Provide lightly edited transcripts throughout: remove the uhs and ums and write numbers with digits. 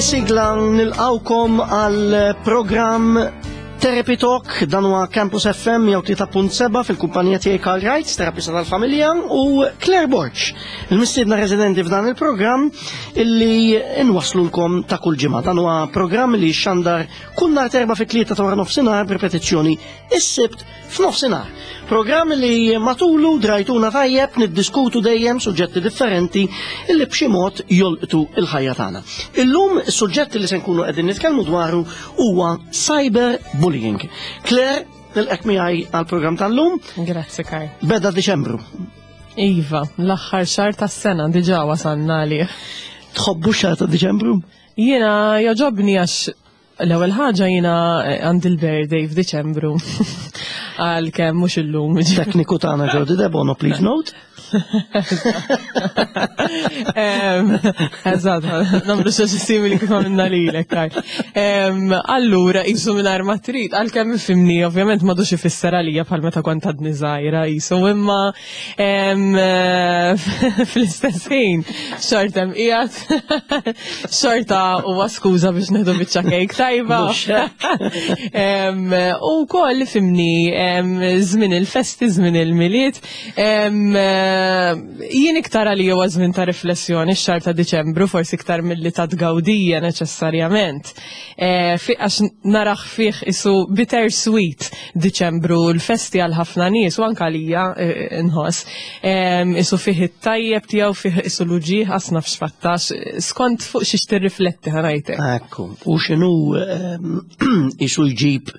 B'din is-sigla nilqawkom għal programm Therapy Talk, dan huwa Campus FM 103.7 fil-kumpanija tiegħi Karl Wright, terapista tal-familja, u Claire Borg, il-mistiedna residenti f'dan il-programm illi nwaslulkom ta' kull ġimgħa. Dan huwa programm li xandar kull nhar terba' fit-tlieta ta' wara nofsinhar b'ripetizzjoni is-Sibt f'nofsinhar. Programm li matulu drajtuna tajjeb niddiskutu dejjem suġġetti differenti illi b'xi mod jolqtu il-ħajja tagħna. Illum is-suġġett li se nkunu qegħdin nitkellmu dwaru huwa cyber bullying. Claire, nilqek miegħi għall-programm tal-lum. Grazzi Karl. Beda Diċembru. Iva, l-aħħar xahar tas-sena diġà wasalna għalih. Tħobbu xahar ta' Diċembru? Jiena jogħġobni għax l-ewwel ħaġa jiena għandi l-birthday f'Diċembru. Għalkemm mhux illum. Tekniku tagħna Jody Debono, please note. Eżatt, nagħmlu xi simili kif għamilna lilek, Karl. Allura, qisu mingħajr ma trid, għalkemm ifhimni, ovvjament m'għadux ifisser għalija bħal meta kont għadni żgħira qisu, imma fl-istess ħin xorta hemm qiegħed xorta huwa skuża biex nieħdu biċċa kejk tajba. U wkoll ifhimni żmien il-festi, żmien il-Milied. Jien iktar għalija huwa żmien ta' riflessjoni x-xahar ta' Diċembru, forsi iktar milli ta' tgawdija neċessarjament. Għax naraħ fih isu bitter sweet Diċembru, l-festi għal ħafna nies u anke għalija nħoss. Isu fih it-tajjeb tiegħu, fih isu l-uġigħ, qas naf x'fattax, skont fuq xiex tirrifletti ħa ngħidlek. Ekku, u x'inhu isu jġib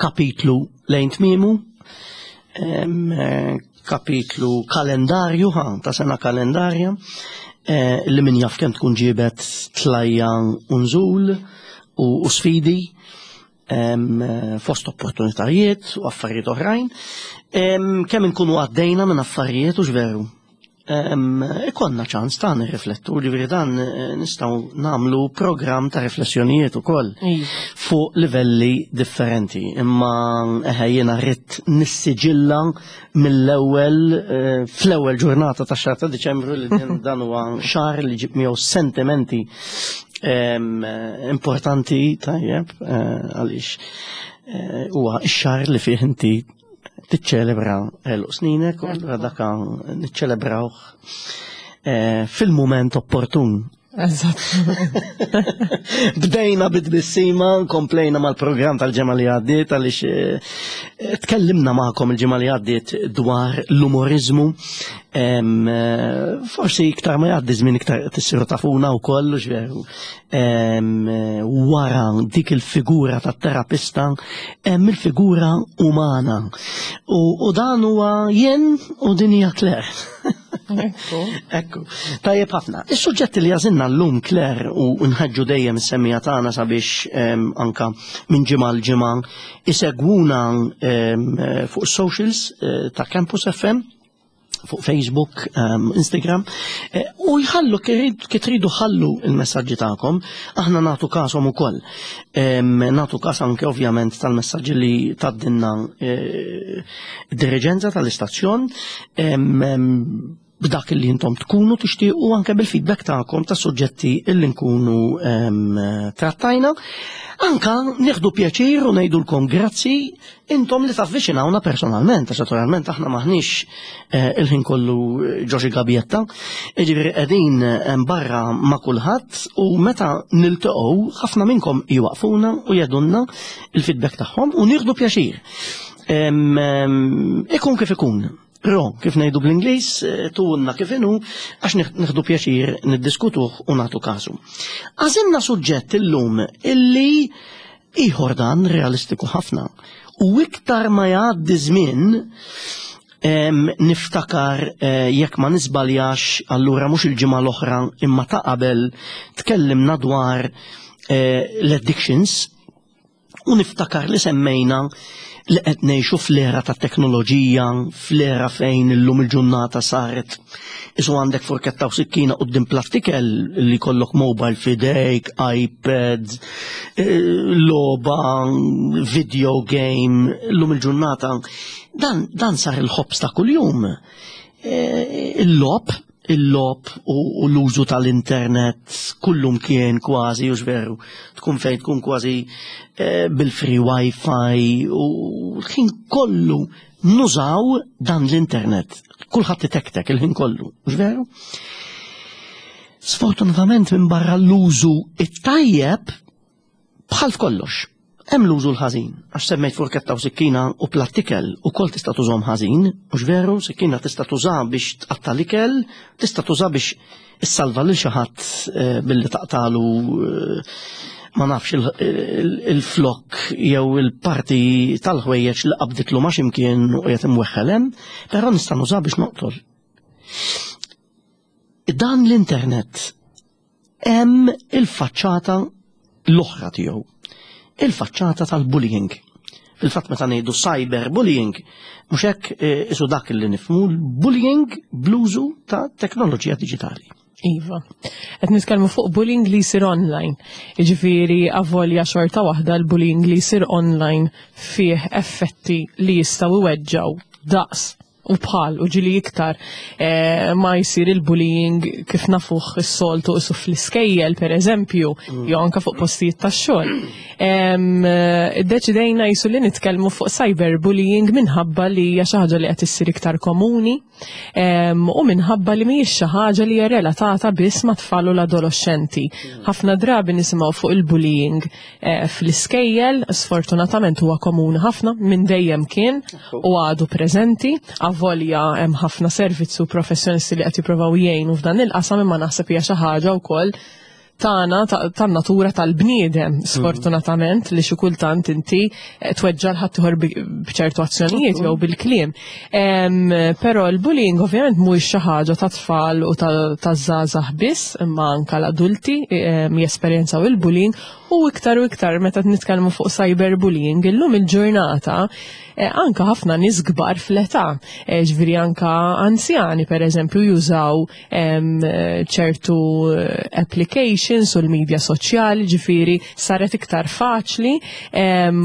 kapitlu lejn tmiemu, kapitlu kalendarju, ha, ta' sena kalendarja, li min jaf kemm tkun ġiebet tlajja u nżul u sfidi, fost opportunitajiet u affarijiet oħrajn, kemm inkunu għaddejna minn affarijiet u x'veru. Ikonna ċans ta' nirriflettu, ġifieri dan nistgħu nagħmlu programm ta' riflessjonijiet ukoll fuq livelli differenti. Imma eħe jiena rrid nissiġilla mill-ewwel fl-ewwel ġurnata ta' xahar ta' Diċembru li dan huwa xahar li ġib miegħu sentimenti importanti tajjeb għaliex huwa x-xahar li fih inti tiċċelebra għeluq sninek u allura daka niċċelebrawh fil-mument opportun. Eżatt. Bdejna bit-tbissima, komplejna mal-programm tal-ġimgħa li għaddiet għaliex tkellimna magħkom il-ġimgħa li għaddiet dwar l-umoriżmu. Forsi iktar ma jgħaddi żmien iktar tissiru tafuna wkoll, u x'veru. Wara dik il-figura tat-terapista hemm il-figura umana. U dan huwa jien u din hija Claire. Ekku. Ekku. Tajjeb ħafna. Is-suġġetti li għażilna llum Claire u nħeġġu dejjem is-semmija tagħna sabiex anka minn ġimgħa l ġimgħa isegwuna fuq socials ta' Campus FM, fuq Facebook, Instagram, u jħallu kif tridu ħallu il-messaġġi tagħkom, aħna nagħtu kasom ukoll. Nagħtu kas anke ovvjament tal-messaġġi li tgħaddilna d-diriġenza tal-istazzjon, b'dak li intom tkunu tixtiequ anke bil-feedback tagħkom ta' suġġetti illi nkunu trattajna. Anka nieħdu pjaċir u ngħidulkom grazzi intom li tavviċinawna personalment, għax naturalment aħna maħniex il-ħin kollu ġo xi gabjetta, jiġifieri qegħdin hemm barra ma' kulħadd u meta niltaqgħu ħafna minnkom jwaqfuna u jgħidulna il-feedback tagħhom u nieħdu pjaċir. Ikun kif ikun. Però, kif ngħidu bl-Ingliż, tunna kif inhu, għax nieħdu pjaċir niddiskutuh u nagħtu kasu. Għażilna suġġett illum illi ieħor dan realistiku ħafna. U iktar ma jgħaddi żmien, niftakar jekk ma nisbaljax, allura mhux il-ġimgħa l-oħra imma ta' qabel tkellimna dwar l-addictions. U niftakar li semmejna li qed ngħixu fl-era ta' teknoloġija, fl-era fejn illum il-ġurnata saret isu għandek forketta u sikkina quddiem platt ikel li jkollok mobile f'idejk, iPad, logħba, video game, illum il-ġurnata. Dan, dan sar il-ħobż ta' kuljum. Il-logħob. il-logħob u l-użu tal-internet kullum kien kważi u veru tkun fejn tkun kważi eh, bil-free wifi u l-ħin kollu nużaw dan l-internet. Kulħadd itektek il-ħin kollu, mhux veru? Sfortunatament minn barra l-użu it-tajjeb bħal f'kollox. Hemm l-użu l-ħażin, għax semmejt furketta u sikkina u platt ikel ukoll tista' tużhom ħażin, mhux veru, sikkina tista' tuża biex tqatta' l-ikel, tista' tuża biex issalva lil xi ħadd eh, billi taqtalu eh, ma nafx il-flok jew il-parti tal-ħwejjeġ li qabditlu ma x'imkien u qiegħed imweħħel hemm, però nista' nuża biex noqtol. Dan l-internet hemm il-faċċata l-oħra tiegħu, il-faċċata tal-bullying. Fil-fatt meta ngħidu cyberbullying, mhux hekk eh, isu dak li nifhmu bullying bl-użu ta' teknoloġija diġitali. Iva. Qed nitkellmu fuq bullying li jsir online. Jiġifieri avolja xorta waħda l-bullying li jsir online fih effetti li jistgħu iweġġgħu daqs u bħal u ġili iktar eh, ma jsir il-bullying kif nafuh is-soltu isu fl-iskejjel per eżempju, mm. jew anka fuq postijiet tax-xogħol. Eh, iddeċidejna jisu li nitkellmu fuq cyberbullying minħabba li hija xi ħaġa li qed issir iktar komuni u minħabba li mhijiex xi ħaġa li hija relatata biss ma' tfal u l-adolescenti. Mm. Ħafna drabi nisimgħu fuq il-bullying Eh, fl-iskejjel, sfortunatament huwa komuni ħafna minn dejjem kien u għadu preżenti, avolja hemm ħafna servizzi u professjonisti li qed jippruvaw jgħinu f'dan il-qasam imma naħseb hija xi ħaġa wkoll tagħna tan-natura tal-bniedem mhm. sfortunatament li xi kultant inti eh, tweġġa' l-ħaddieħor b'ċertu azzjonijiet jew bil-kliem. Però l-bullying ovvjament mhuwiex xi ħaġa ta' tfal u ta' żgħażagħ biss, imma anka l-adulti jesperjenzaw il-bullying u iktar u iktar meta nitkellmu fuq cyberbullying illum il-ġurnata eh, anka ħafna nies kbar fl-età, eh, ġifieri anka anzjani pereżempju jużaw ċertu eh, applications u l-medja soċjali, ġifieri saret iktar faċli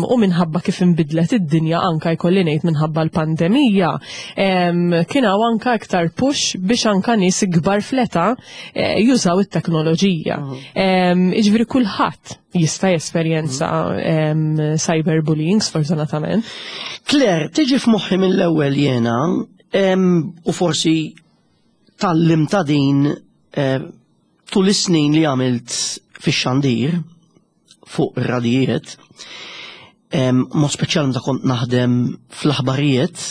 u minħabba kif inbidlet id-dinja anka jkolli ngħid minħabba l-pandemija, kien hawn anka iktar push biex anka nies ikbar fl-età eh, jużaw it-teknoloġija. Mhm. Iġifieri kulħadd jista' jesperjenza mhm. cyberbullying sfortunatament. Claire, tiġi f'moħħi mill-ewwel jiena u forsi tallim ta' din eh, tul is-snin li għamilt fix-xandir fuq ir-radijiet, mod speċjali meta kont naħdem fl-aħbarijiet,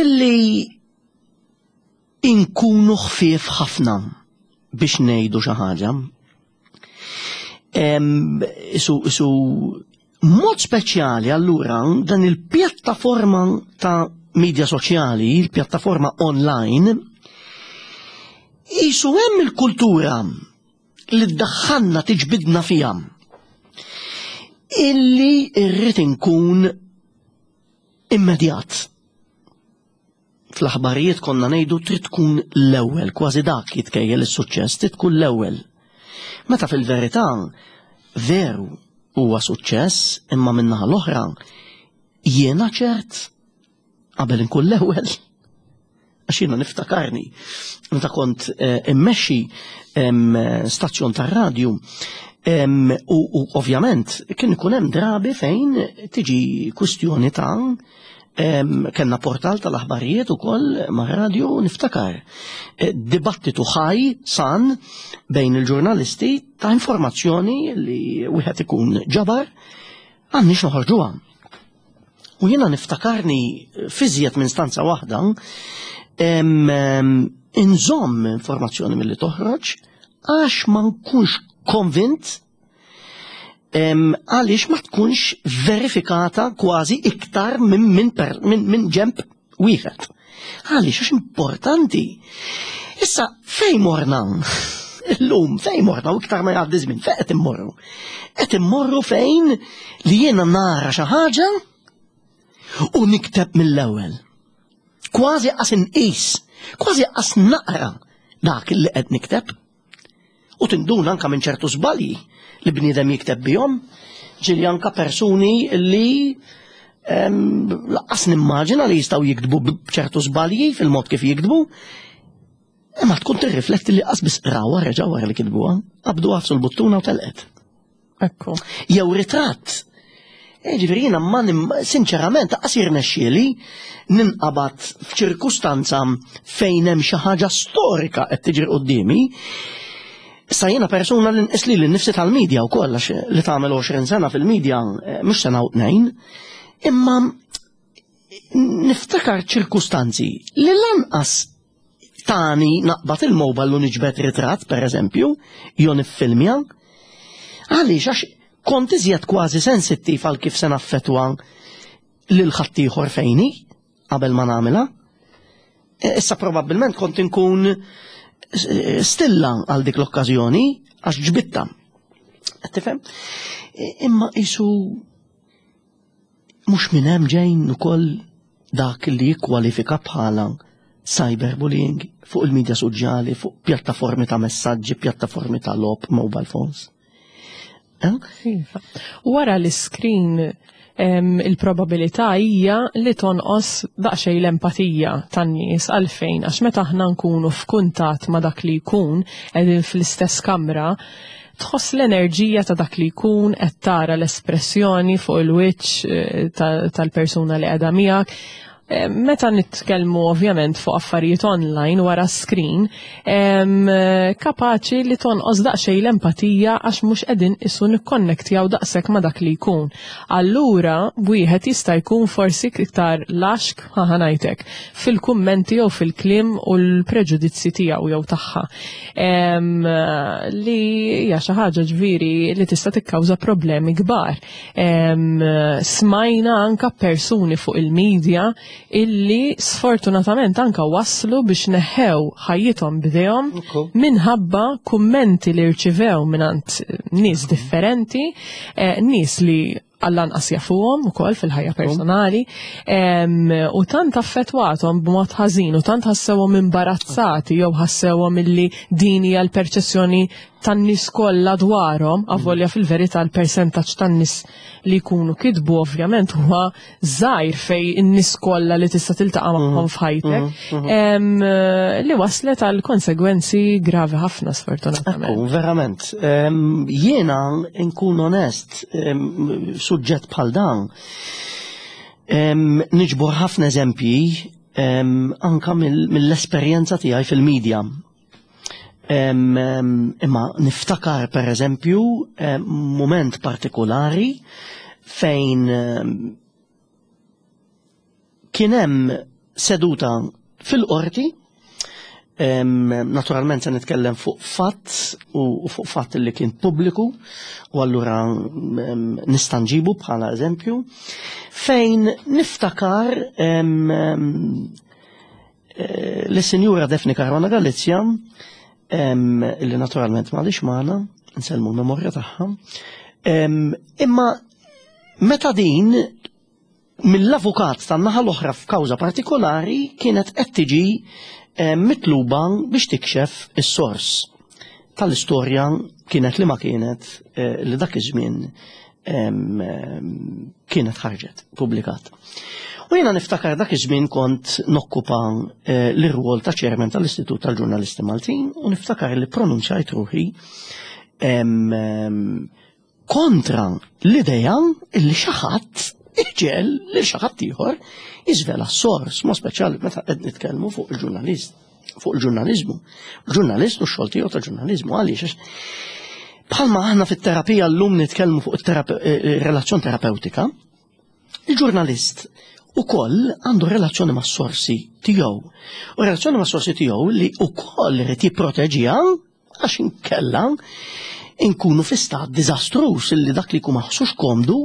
illi inkunu ħfief ħafna biex ngħidu xi ħaġa. Isu, isu mod speċjali allura dan il-pjattaforma ta' media soċjali, il-pjattaforma online, isu hemm il-kultura li ddaħħalna tiġbidna fiha illi rrid inkun immedjat. Fl-aħbarijiet konna ngħidu trid tkun l-ewwel, kważi dak jitkejjel is-suċċess, trid tkun l-ewwel. Meta fil-verità veru huwa suċċess imma min-naħa l-oħra jiena ċert qabel inkun l-ewwel. Għax jiena niftakarni meta kont eh, immexxi stazzjon tar-radju u ovvjament kien ikun hemm drabi fejn tiġi kwistjoni ta' Kenna portal tal-aħbarijiet ukoll ma' radio niftakar. Eh, dibattitu ħaj san bejn il-ġurnalisti ta' informazzjoni li wieħed ikun ġabar għandniex noħorġuha. U jiena niftakarni fiżjed minn stanza waħda inżomm informazzjoni milli toħroġ għax ma nkunx konvint għaliex ma tkunx verifikata kważi iktar minn min, min, min ġemp wieħed. Għaliex għax importanti. Issa fejn morna? Illum fejn morna u iktar ma jgħaddi żmien fejn qed immorru? Qed immorru fejn li jiena nara xi ħaġa u nikteb mill-ewwel. Kważi qas inqis, kważi qas naqra dak li qed nikteb. U tinduna anka minn ċertu żbalji li bniedem jikteb bihom, ġieli anka persuni li laqqas nimmaġina li jistgħu jiktbu b'ċertu żbalji fil-mod kif jiktbu. Imma tkun tirrifletti li qas biss qrawha reġgħu wara li kitbuha, qabdu għafsu l-buttuna u telqet. Ekku. Jew ritratt. E, ġifieri jiena ma sinċerament qas jirnexxieli ninqabad f'ċirkustanza fejn hemm xi ħaġa storika qed tiġri quddiemi. Issa jiena persuna li nqis li nnifsi tal-medja wkoll għax li tagħmel 20 sena fil-medja eh, mhux sena u tnejn, imma niftakar ċirkustanzi li lanqas tani naqbad il-mobile u niġbed ritratt, per eżempju, jew niffilmja. Għaliex għax kont iżjed kważi sensittiv għal kif se naffetwa lil ħaddieħor fejni qabel ma nagħmilha. E, issa probabbilment kont inkun e, stilla għal dik l-okkażjoni għax ġbitta. Tifhem? E, imma isu Mhux minn hemm ġejn ukoll dak li jikkwalifika bħala cyberbullying fuq il-midja soċjali, fuq pjattaformi ta' messaġġi, pjattaformi ta' logħob, mobile phones. Eh? Iva. Wara l-iskrin il-probabilità hija li tonqos daqsxejn l-empatija tan-nies għalfejn għax meta aħna nkunu f'kuntatt ma' dak li jkun qegħdin fl-istess kamra tħoss l-enerġija ta' dak li jkun qed tara l-espressjoni fuq il-wiċċ eh, tal-persuna li qiegħda miegħek. Eh, meta nitkellmu ovvjament fuq affarijiet online wara screen, kapaċi li tonqos daqsxejn l-empatija għax mhux qegħdin isu nikkonnektjaw daqshekk ma' dak li jkun. Allura wieħed jista' jkun forsi iktar laxk ħa ngħidlek, fil-kummenti jew fil-kliem u l-preġudizzji tiegħu jew tagħha. Li hija xi ħaġa ġifieri li tista' tikkawża problemi kbar. Smajna anka persuni fuq il-medja illi sfortunatament anka waslu biex neħew ħajjithom b'idejhom minħabba kummenti li rċivew mingħand nies differenti, eh, nies li għall-anqas jafuhom ukoll fil-ħajja personali u tant affettwathom b'mod ħażin u tant ħassewhom imbarazzati jew ħassewhom illi din hija l-perċezzjoni tan-nies kollha dwarhom, avolja fil-verità l-persentaġġ tan-nies li jkunu kitbu ovvjament huwa żgħir fej in-nies kollha li tista' tiltaqa' mhm. magħhom f'ħajtek, mhm, mhm. li waslet għal konsegwenzi gravi ħafna sfortunatament. Verament. Jiena nkun onest, suġġett bħal dan, niġbor ħafna eżempji anka mill-esperjenza tiegħi fil-medja. Imma niftakar per eżempju moment partikolari fejn kien hemm seduta fil-qorti, naturalment se nitkellem fuq fatt u fuq fatt li kien pubbliku u allura nista' nġibu bħala eżempju, fejn niftakar eh, li sinjura Daphne Caruana Galizia li naturalment m'għadhiex magħna, nsellmu l-memorja tagħha, imma meta din mill-avukat tan-naħa l-oħra f'kawża partikolari kienet qed tiġi eh, mitluba biex tikxef is-sors tal-istorja kienet li ma kienet eh, li dak iż-żmien kienet ħarġet publikat. U jiena niftakar dak iż-żmien kont nokkupa eh, l-irwol ta' chairman tal-Istitut tal-Ġurnalisti Maltin u niftakar li pronunċajt ruħi kontra l-idea illi xi ħadd iġiegħel lil xi ħadd ieħor jiżvela s-sors, ma speċjali meta qed nitkellmu fuq il-ġurnalist, fuq il-ġurnaliżmu. Ġurnalist u x-xogħol tiegħu ta' ġurnaliżmu għaliex bħalma aħna fit-terapija llum nitkellmu fuq il-relazzjoni eh, terapeutika, il-ġurnalist ukoll għandu relazzjoni ma' sorsi tiegħu. U relazzjoni ma' sorsi tiegħu li ukoll irid jipproteġiha Għax inkella inkunu fi stat diżastruż illi dak li jkun ma ħossux komdu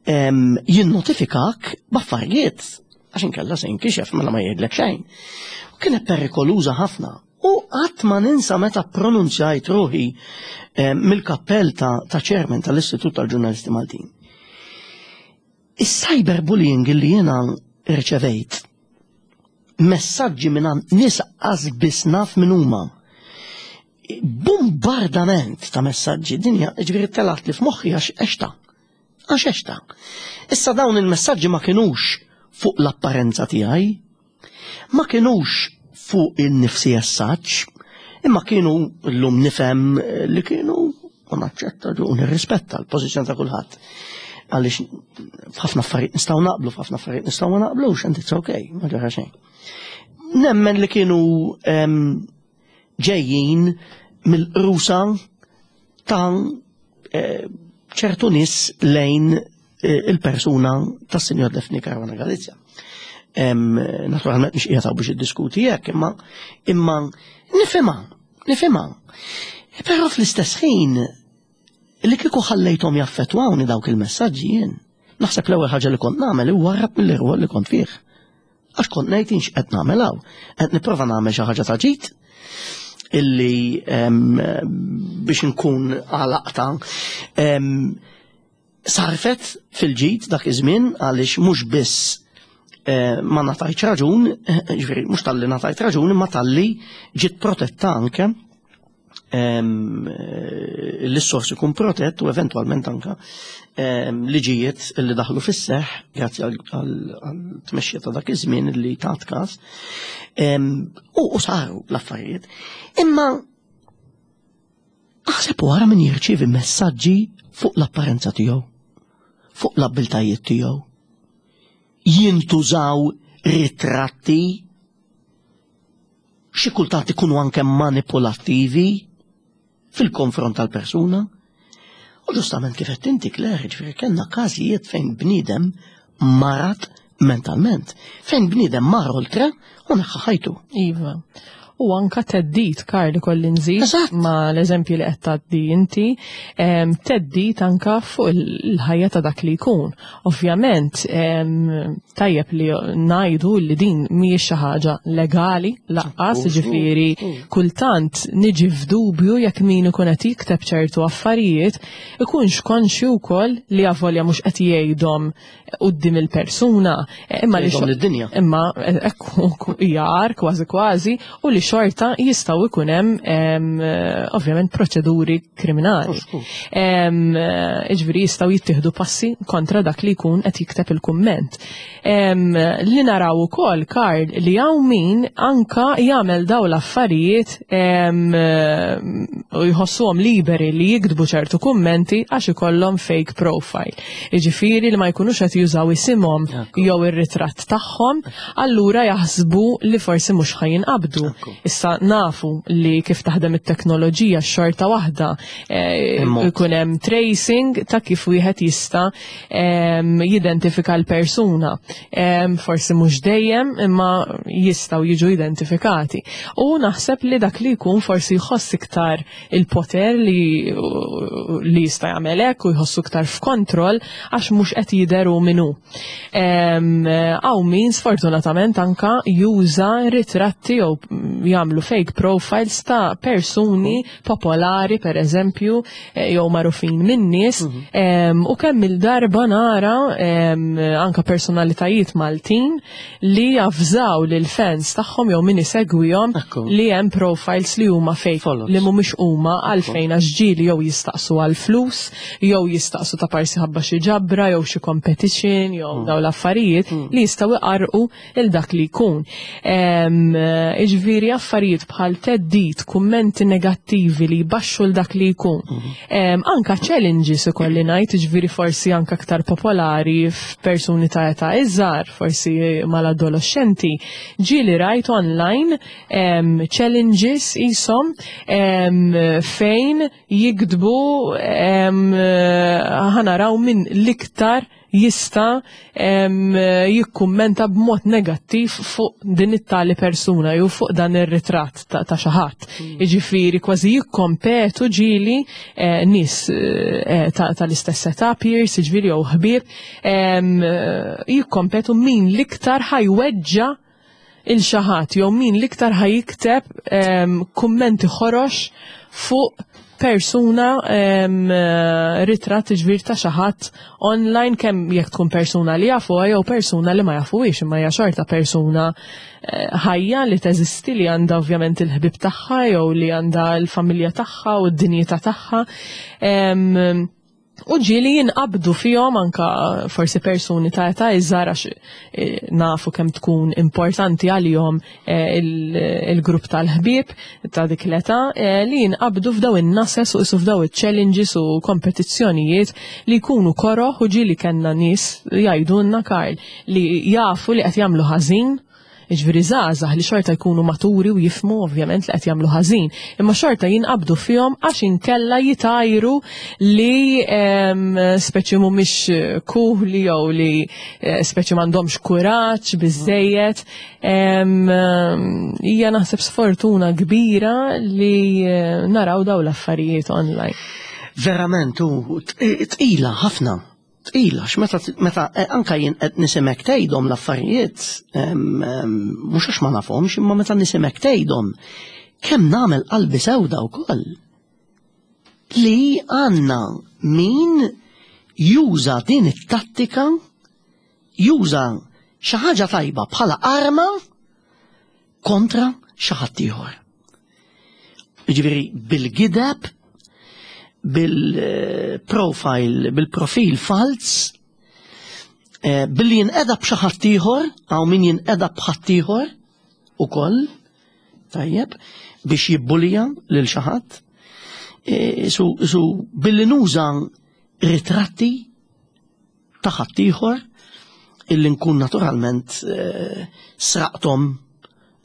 jinnotifikak b'affarijiet għax inkella se jinkixef mela ma jgħidlek xejn. U kienet perikoluża ħafna. U qatt ma ninsa meta pronunzjajt ruħi mill-kappell ta', ta chairman tal-Istitut tal-Ġurnalisti Maltin. Is-cyberbullying li jiena rċevejt messaġġi minn nies qas biss naf min huma. Bombardament ta' messaġġi dinja ġifieri telat li f'moħħi għax għexta. Għax għexta. Issa dawn il-messaġġi ma kinux fuq l-apparenza tiegħi, ma kinux fuq in-nifsi as such, imma kienu llum nifhem li kienu u naċċetta u nirrispetta l-pożizzjoni ta' kulħadd. Għaliex f'ħafna affarijiet nistgħu naqblu, f'ħafna affarijiet nistgħu ma naqblux, and it's okay, ma ġara xejn. Nemmen li kienu ġejjin mill-qrusa ta' eh, ċertu nies lejn eh, il-persuna tas-Sinjor Daphne Caruana Galizia. Naturalment mhix qiegħed biex iddiskuti hekk, imma imma nifhimha, nifhimha. Però fl-istess ħin li kieku ħallejthom jaffettwawni dawk il-messaġġi jien, naħseb l-ewwel ħaġa li kont nagħmel iwarrab mill-irwol li kont fih. Għax kont ngħid inx qed nagħmel hawn, qed nipprova nagħmel xi ħaġa ta' ġid illi biex nkun għalaqta sarfet fil-ġid dak iż-żmien għaliex mhux biss eh, ma natajt raġun, ġifieri mhux talli natajt raġun imma talli ġiet protetta anke Eh, l-sors ikun protett u eventwalment anka liġijiet li daħlu fis-seħ grazzi għal tmexxija ta' dak iż-żmien li tat każ u saru l-affarijiet. Imma aħseb wara min jirċievi messaġġi fuq l-apparenza tiegħu, fuq l-abbiltajiet tiegħu. Jintużaw ritratti xi kultant ikunu anke manipulattivi fil-konfront tal-persuna. U ġustament kif qed inti Claire, ġifieri kellna każijiet fejn bniedem marat mentalment, fejn bniedem mar oltre u neħħa ħajtu. Iva. U anka teddit, Karl, kolli nżid ma l-eżempju li qed tgħaddi inti, teddit anka fuq il-ħajja ta' dak li jkun. Ovvjament, tajjeb li ngħidu li din mhijiex xi ħaġa legali laqqas, ġifieri kultant niġi f'dubju jekk min ikun qed jikteb ċertu affarijiet ikunx konxju wkoll li avolja mhux qed jgħidhom quddiem il-persuna, imma li lid-dinja. Imma ekku hija kważi kważi u li xorta jistgħu jkun hemm ovvjament proċeduri kriminali. Iġviri jistgħu jittieħdu passi kontra dak li jkun qed jikteb il-kumment. Li naraw ukoll, Karl, li hawn min anka jagħmel daw l-affarijiet u jħossuhom liberi li jiktbu ċertu kummenti għax ikollhom fake profile. Iġifieri li ma jkunux qed jużaw isimhom jew ir-ritratt tagħhom, allura jaħsbu li forsi mhux ħa jinqabdu. Issa nafu li kif taħdem it-teknoloġija xorta waħda eh, ikun hemm tracing ta' kif wieħed jista' jidentifika l-persuna. Forsi mhux dejjem imma jistgħu jiġu identifikati. U naħseb li dak li jkun forsi jħoss iktar il-poter li li jista' jagħmel hekk u jħossu iktar f'kontroll għax mhux qed jidher hu min hu. Hawn min sfortunatament anka juża ritratti jew jagħmlu fake profiles ta' persuni popolari per eżempju eh, jew magħrufin minn nies mhm. u kemm il-darba nara anka personalitajiet Maltin li javżaw lil fans tagħhom jew min isegwihom li hemm profiles li huma fake li mhumiex huma għalfejn għax ġieli jew jistaqsu għal flus jew jistaqsu ta' parsi ħabba xi ġabra jew xi competition jew mm. dawn l-affarijiet mm. li jistgħu iqarqu il dak li jkun. Iġviri affarijiet bħal teddit, kummenti negattivi li jbaxxu l dak li jkun. Mm. Anka challenges ikolli ngħid, iġviri forsi anka aktar popolari f'persuni ta' età iżgħar, forsi mal-adolescenti, ġieli rajt online challenges isom fejn jiktbu ħanaraw min l-iktar jista' jikkummenta b'mod negattiv fuq din it-tali persuna jew fuq dan ir-ritratt ta' xi ħadd. Mm. Jiġifieri kważi jikkompetu ġieli eh, nies eh, tal-istess età peers, jiġifieri jew ħbieb, jikkompetu min l-iktar ħajweġġa' il xi ħadd jew min l-iktar ħa jikteb kummenti ħorox fuq persuna ritratt ġbir ta' xi ħadd online kemm jekk tkun persuna li jafuha jew persuna li ma jafuhiex imma hija xorta persuna eh, ħajja li teżisti li għandha ovvjament il-ħbib tagħha jew li għandha l-familja tagħha u d-dinjità tagħha. U ġieli jinqabdu fihom anka forsi persuni ta' età iżgħar għax eh, nafu kemm tkun importanti għalihom eh, il-grupp tal-ħbieb ta' dik l-età eh, li jinqabdu f'daw in-nases u isu f'daw iċ-challenges u kompetizzjonijiet li jkunu koroh u ġieli kellna nies jgħidulna Karl li jafu li qed jagħmlu ħażin. Jiġifieri żgħażagħ li xorta jkunu maturi u jifhmu ovvjament li qed jagħmlu ħażin, imma xorta jinqabdu fihom għax inkella jitgħajru li speċi mhumiex kuħli jew li eh, speċi m'għandhomx kuraġġ biżejjed. Hija naħseb sfortuna kbira li eh, naraw daw l-affarijiet online. Verament, u tqila ħafna. Tqila, għax meta, meta eh, anka jien qed nisimek tgħidhom l-affarijiet, mhux għax ma nafhomx, imma meta nisimek tgħidhom, kemm nagħmel qalbi sewda wkoll. Li għandna min juża din it-tattika, juża xi ħaġa tajba bħala arma kontra xi ħadd ieħor. Jiġifieri bil-gideb, bil-profile, bil-profil falz, eh, billi jinqeda b'xi ħadd ieħor, hawn min jinqeda b'ħadd ieħor ukoll, tajjeb, biex jibbulija lil xi ħadd. Eh, su billi nuża ritratti ta' ħaddieħor illi nkun naturalment eh, sraqthom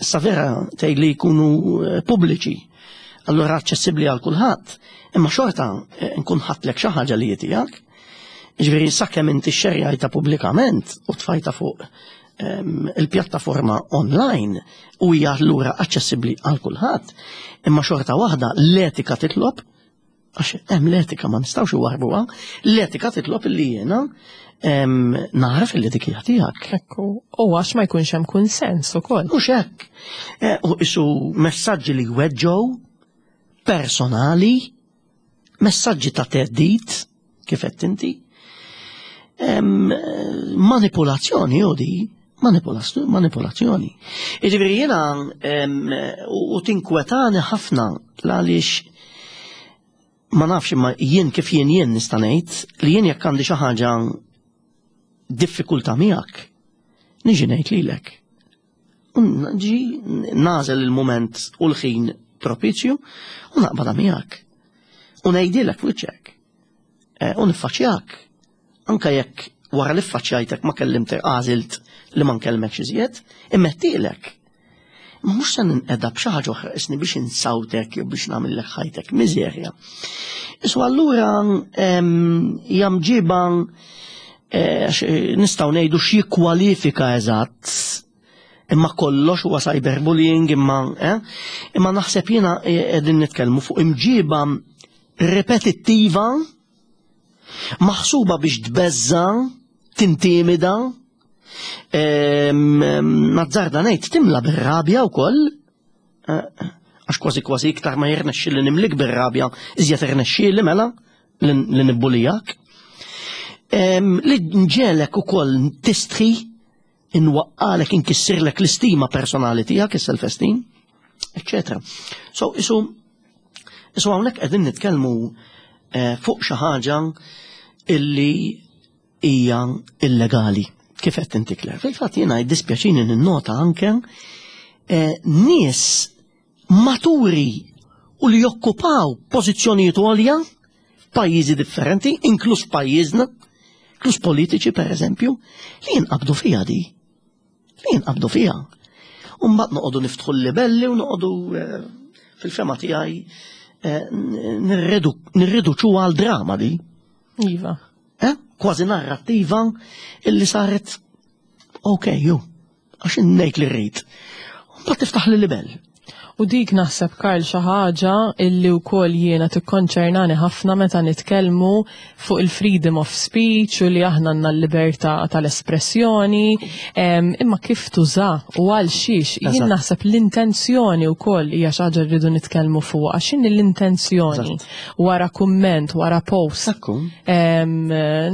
issa vera tgħid li jkunu eh, pubbliċi, allura aċċessibbli għal kulħadd, imma xorta eh, nkun ħadtlek xi ħaġa li tiegħek. Ġifieri sakemm inti xerjajta pubblikament u tfajta fuq ehm, il-pjattaforma online u hija allura aċċessibbli għal kulħadd, imma xorta waħda l-etika titlob Għax hemm l-etika ma nistgħux iwarbuha, l-etika titlob illi jiena naraf illi dik hija tiegħek. Ekku, u għax ma jkunx hemm kunsens ukoll. Mhux hekk. Eh, u isu messaġġi li jweġġgħu personali, messaġġi ta' teddid, kif qed inti. Manipulazzjoni u di, manipulazzjoni. Jiġifieri jiena u tinkwetani ħafna għaliex ma nafx imma jien kif jien jien nista' ngħid li jien jekk għandi xi ħaġa diffikultà miegħek, niġi ngħid lilek. Ġi nażel il-moment u l-ħin propizju u naqbadha miegħek. U ngħidilek f'wiċċek. Eh, u niffaċċjak. Anka jekk wara li ffaċċjajtek ma kellimtek għażilt li ma nkellmekx iżjed, immettilek. Ma mhux se ninqeda b'xi ħaġa oħra isni biex insawtek jew biex nagħmillek ħajtek miżerja. Isu allura hija mġiba eh, nistgħu ngħidu x'jikkwalifika eżatt imma kollox huwa cyberbullying imma eh? imma naħseb jiena eh, qegħdin nitkellmu fuq imġiba repetittiva maħsuba biex tbeżża, tintimida, nazzarda ngħid timla bir-rabja wkoll, eh, għax kważi kważi iktar ma jirnexxi li nimlik bir-rabja, iżjed irnexxi mela li nibbulijak. Li nġelek ukoll tistħi inwaqqalek, inkissirlek l-istima personali tiegħek, is-self-esteem, eccetera. So, isu, isu hawnhekk qegħdin nitkellmu eh, fuq xi ħaġa illi hija illegali. Kif qed inti Claire? Fil-fatt jiena jiddispjaċini ninnota anke eh, nies maturi u li jokkupaw pożizzjonijiet għolja f'pajjiżi differenti, inkluż pajjiżna, inkluż politiċi per eżempju, li jinqabdu fiha di. Li jinqabdu fiha. U mbagħad noqogħdu niftħu l-libelli u noqogħdu eh, fil-fema tiegħi eh, nirriduċu għal drama di. Iva. Eh? Kważi narrattiva illi saret ok, ju. Għax ngħid li rrid. Mbagħad tiftaħ li libel. U dik naħseb Karl xi ħaġa illi wkoll jiena tikkonċernani ħafna meta nitkellmu fuq il-freedom of speech u li aħna għandna l-libertà tal-espressjoni, imma kif tuża u għal xiex. Jien naħseb l-intenzjoni wkoll hija xi ħaġa rridu nitkellmu fuq għax x'inhi l-intenzjoni wara kumment, wara post.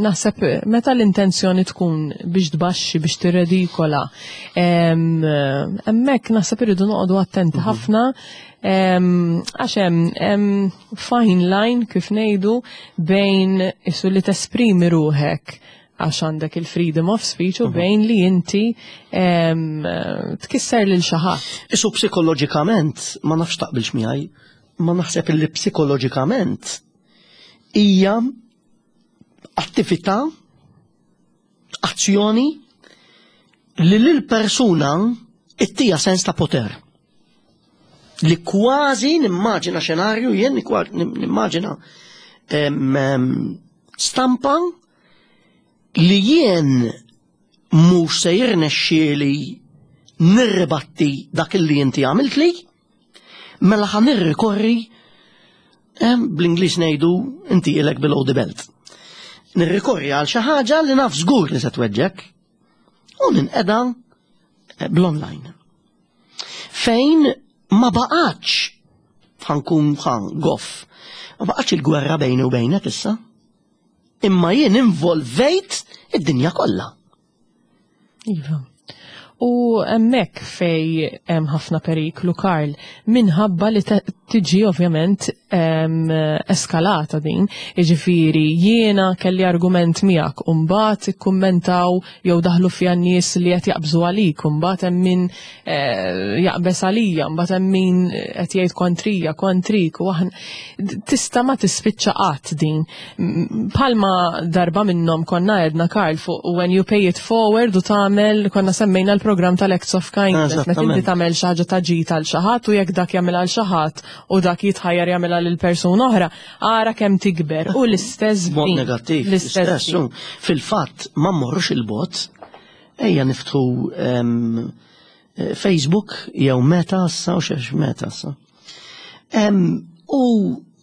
Naħseb meta l-intenzjoni tkun biex tbaxxi, biex tirredikola, hemmhekk naħseb irridu noqogħdu attenti mhm. ħafna. ħafna għax hemm fine line kif ngħidu bejn isu li tesprimi ruħek għax għandek il-freedom of speech u mhm. bejn li inti tkisser lil xi ħadd. Isu psikoloġikament ma nafx taqbilx miegħi, ma naħseb li psikoloġikament hija attività azzjoni li lil persuna ittija sens ta' poter. Li kważi nimmaġina xenarju jien nimmaġina stampa li jien mhux se jirnexxieli nirribatti dak li inti għamiltli, mela ħa nirrikorri bl-Ingliż ngħidu inti ilek below the belt. Nirrikorri għal xi ħaġa li naf żgur li se tweġġek u ninqeda eh, bl-online. Fejn ma baqgħatx ħankun ħan goff, ma baqgħatx il-gwerra bejni u bejnek issa. Imma jien involvejt id-dinja kollha. Iva. U hemmhekk fej hemm ħafna periklu Karl, minħabba li tiġi ovvjament eskalata din. Jiġifieri jiena kelli argument miegħek u mbagħad ikkummentaw jew daħlu fiha nies li qed jaqbżu għalik, u mbagħad hemm min eh, jaqbeż għalija, mbagħad hemm min qed jgħid kontrija, kontrik, u aħna tista' ma tispiċċa qatt din. Palma darba minnhom konna għedna Karl fuq when you pay it forward u tagħmel konna semmejna l-programm tal-Acts of Kindness, meta inti tagħmel xi ħaġa ta' ġid għal xi ħadd u jekk dak jagħmel għal xi ħadd u dak jitħajjar jagħmilha lil persuna oħra, ara kemm tikber u l-istess mod negattiv, l-istess. Fil-fatt ma mmorrux il-bot, ejja niftħu ehm, eh, Facebook jew meta issa u xex meta issa. U,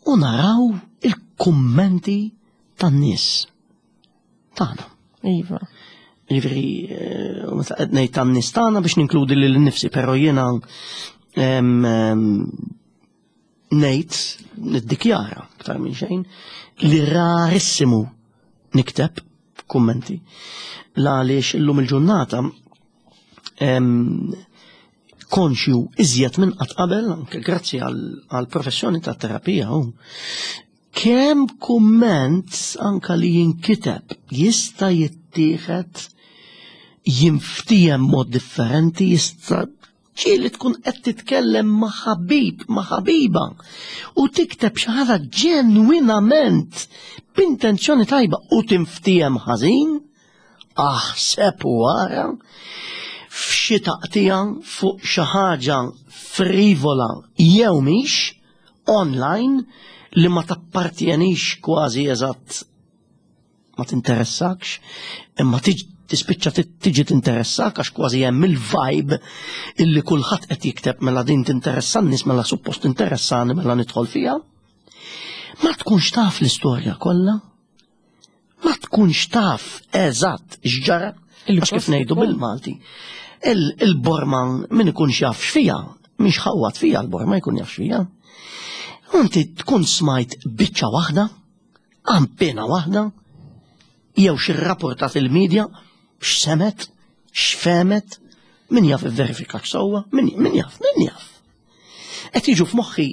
u naraw il-kummenti tan-nies tagħna. Iva. Ġifieri, eh, meta qed ngħid tan-nies tagħna biex ninkludi lil nifsi, però jiena ngħid niddikjara aktar minn xejn li rarissimu nikteb kummenti. La għaliex illum il-ġurnata konxju iżjed minn qatt qabel, anke grazzi għal professjoni ta' terapija, kemm kumment anka li jinkiteb jista' jittieħed jinftiehem mod differenti, jista' ġieli tkun qed titkellem ma' ħabib, ma' ħabiba u tikteb xi ħaġa ġenwinament b'intenzjoni tajba u tinftiehem ħażin, aħseb u ara f'xi taqtija fuq xi ħaġa frivola jew mhix online li ma tappartjenix kważi eżatt ma tinteressakx, imma tispiċċa tiġi tinteressak għax kważi hemm il-vibe illi kulħadd qed jikteb mela din tinteressa n-nies mela suppost tinteressani mela nidħol fiha. Ma tkunx taf l-istorja kollha ma tkunx taf eżatt x'ġara, għax kif ngħidu bil-Malti, il-borma min ikun jaf x'fija, mhix ħawat fija l-borma jkun jaf x'fija. Inti tkun smajt biċċa waħda, ampena waħda, jew xi rapportat il-medja, x'semet, x'femet, min jaf verifika sewwa, min jaf, min jaf. Qed jiġu f'moħħi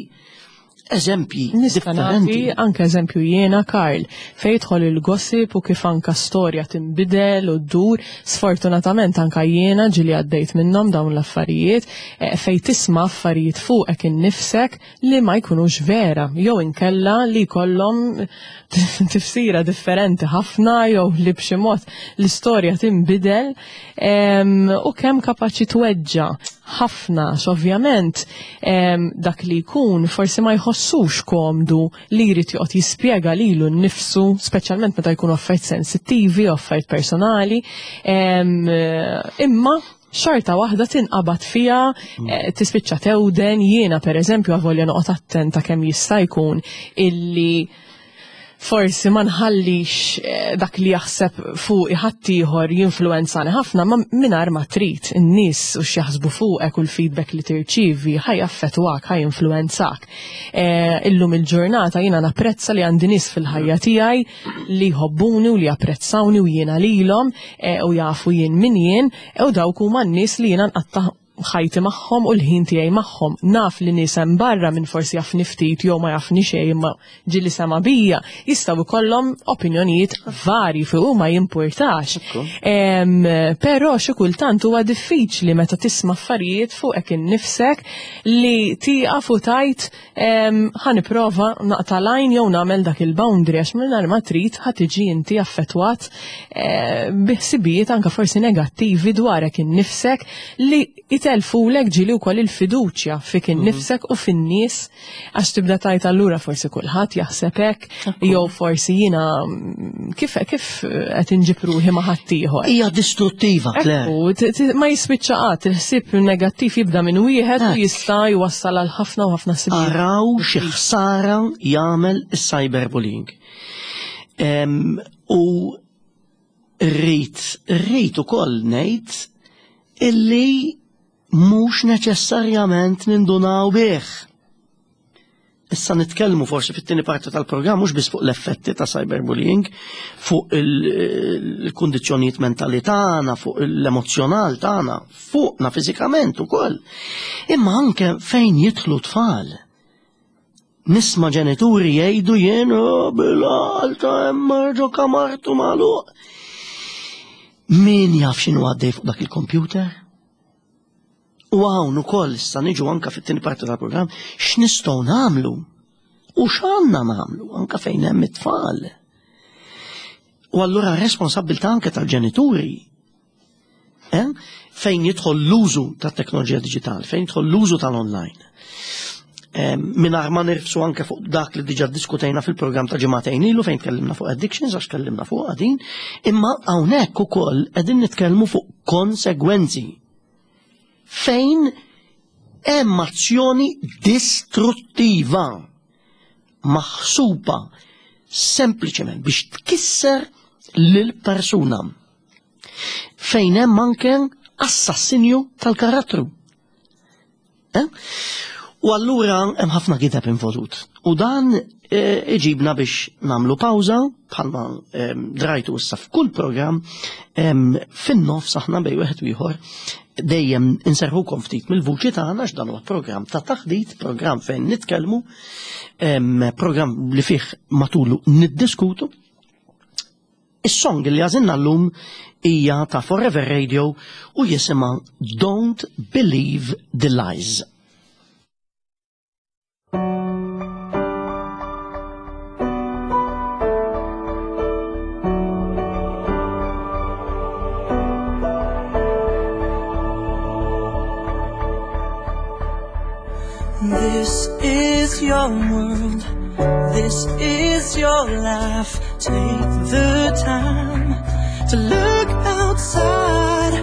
eżempji differenti. Anke eżempju jiena Karl, fejn jidħol il-gossip u kif anka storja tinbidel u ddur, sfortunatament anka jiena ġili għaddejt minnhom dawn l-affarijiet, eh, fejn tisma' affarijiet fuqek innifsek li ma jkunux vera, jew inkella li jkollhom tifsira differenti ħafna jew li b'xi mod l-istorja tinbidel u kemm kapaċi tweġġa' ħafna għax ovvjament dak li jkun forsi ma jħossux komdu li jrid joqgħod jispjega lilu nnifsu, speċjalment meta jkunu affarijiet sensittivi, affarijiet personali, imma xorta waħda tinqabad fiha, eh, tispiċċa tewden, jiena pereżempju avolja noqgħod attenta kemm jista' jkun illi forsi ma nħallix eh, dak li jaħseb fuq ħaddieħor jinfluwenzani ħafna, ma mingħajr ma trid in-nies u x'jaħsbu fuqek u l-feedback li tirċievi ħaj affettwak, ħaj influwenzak. Eh, illum il-ġurnata jiena napprezza li għandi nies fil-ħajja tiegħi li jħobbuni u li japprezzawni u jiena lilhom eh, u jafu jien min jien u dawk huma n-nies li jiena nqatta' ħajti magħhom u l-ħin tiegħi magħhom. Naf li nies hemm barra minn forsi jafni ftit jew ma jafni xejn imma ġieli sema' bija, jistgħu jkollhom opinjonijiet varji fuq u ma jimpurtax. Però xi kultant huwa diffiċli meta tisma' affarijiet fuqek innifsek li tieqaf u tgħid ħa nipprova naqta' l-għajn jew nagħmel dak il-boundary għax mingħajr ma trid ħa tiġi inti affettwat bi ħsibijiet anke forsi negattivi dwarek innifsek li jtellfulek ġieli wkoll il-fiduċja fik innifsek u fin-nies għax tibda tgħid allura forsi kulħadd jaħseb hekk jew forsi jiena kif kif qed inġib ruħi ma' ħaddieħor. Hija distruttiva, Claire. Ekku, ma jispiċċa qatt, il-ħsieb negattiv jibda minn wieħed u jista' jwassal għal ħafna u ħafna ħsibijiet. Araw xi ħsara jagħmel is-cyberbullying. U rrid rrid ukoll ngħid illi mhux neċessarjament nindunaw bih. Issa nitkellmu forsi fit-tieni parti tal-programm mhux biss fuq l-effetti ta' cyberbullying, fuq il-kundizzjonijiet mentali tagħna, fuq l-emozzjonal tagħna, fuqna fiżikament ukoll. Imma anke fejn jidħlu tfal. Nisma' ġenituri jgħidu jien oh, bil-għal ta' hemm ġo kamartu magħluq. Min jaf x'inhu għaddej fuq dak il-kompjuter? U hawn ukoll issa niġu anka fit-tieni parti tal-programm x'nistgħu nagħmlu u x'għandna nagħmlu anka fejn hemm it-tfal. U allura responsabbiltà anke tal-ġenituri. Eh? Fejn jidħol l-użu tat-teknoloġija diġitali, fejn jidħol l-użu tal-online. Eh, Mingħajr ma nirfsu anke fuq dak li diġà diskutejna fil-programm ta' ġimagħtejn ilu fejn tkellimna fuq addictions għax tkellimna fuq din, imma hawnhekk ukoll qegħdin nitkellmu fuq konsegwenzi fejn hemm azzjoni distruttiva maħsuba sempliċement biex tkisser lil persuna fejn hemm anke assassinju tal-karattru. Eh? U allura hemm ħafna gideb involut. U dan eh, iġibna biex namlu pawża bħalma eh, drajtu issa f'kull programm fin-nofs aħna bej wieħed u ieħor dejjem inserħukom ftit mill-vuċi tagħna għax dan huwa programm ta' taħdit, programm fejn nitkellmu, programm li fih matulu niddiskutu. Is-song li għażilna llum hija ta' Forever Radio u jisimha Don't Believe the Lies. This is your world, this is your life. Take the time to look outside.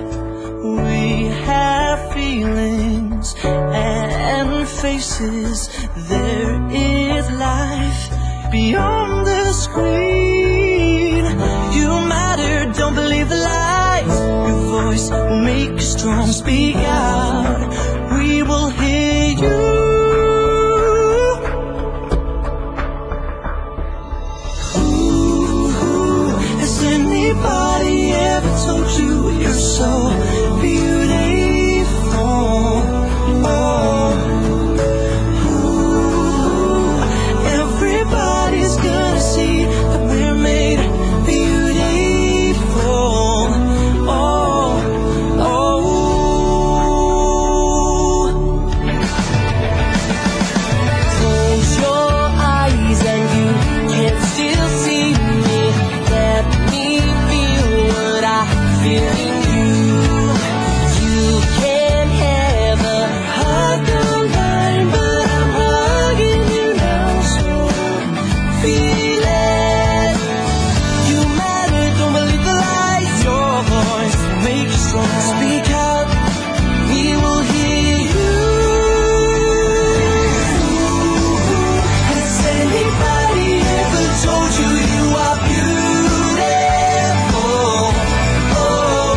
We have feelings and faces. There is life beyond the screen. You matter, don't believe the lies. Your voice will make you strong. Speak out, we will hear you. Ooh, has anybody ever told you you're so beautiful? Oh. Ooh, everybody's gonna see that we're made beautiful. Oh, oh. Close your eyes and you can still see me. Let me feel what I feel in you. You can have a hug the line, but I'm hugging you now, so feel it. You matter, don't believe the lies. Your voice will make you strong. Speak out, we will hear you. Has anybody ever told you you are beautiful? Oh,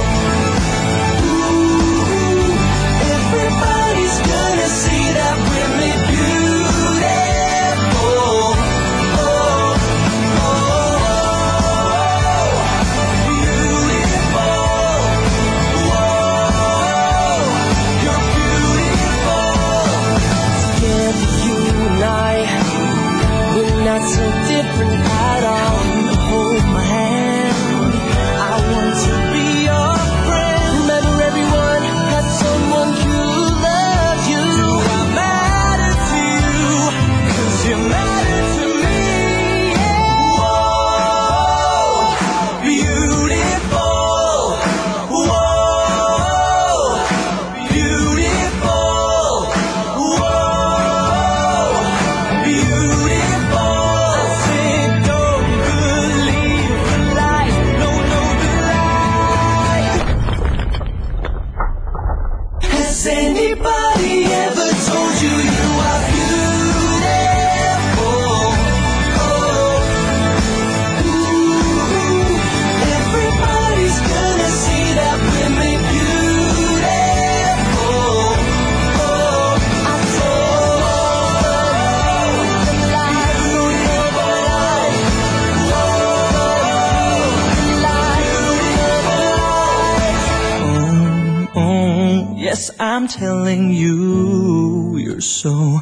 Yes, I'm telling you, you're so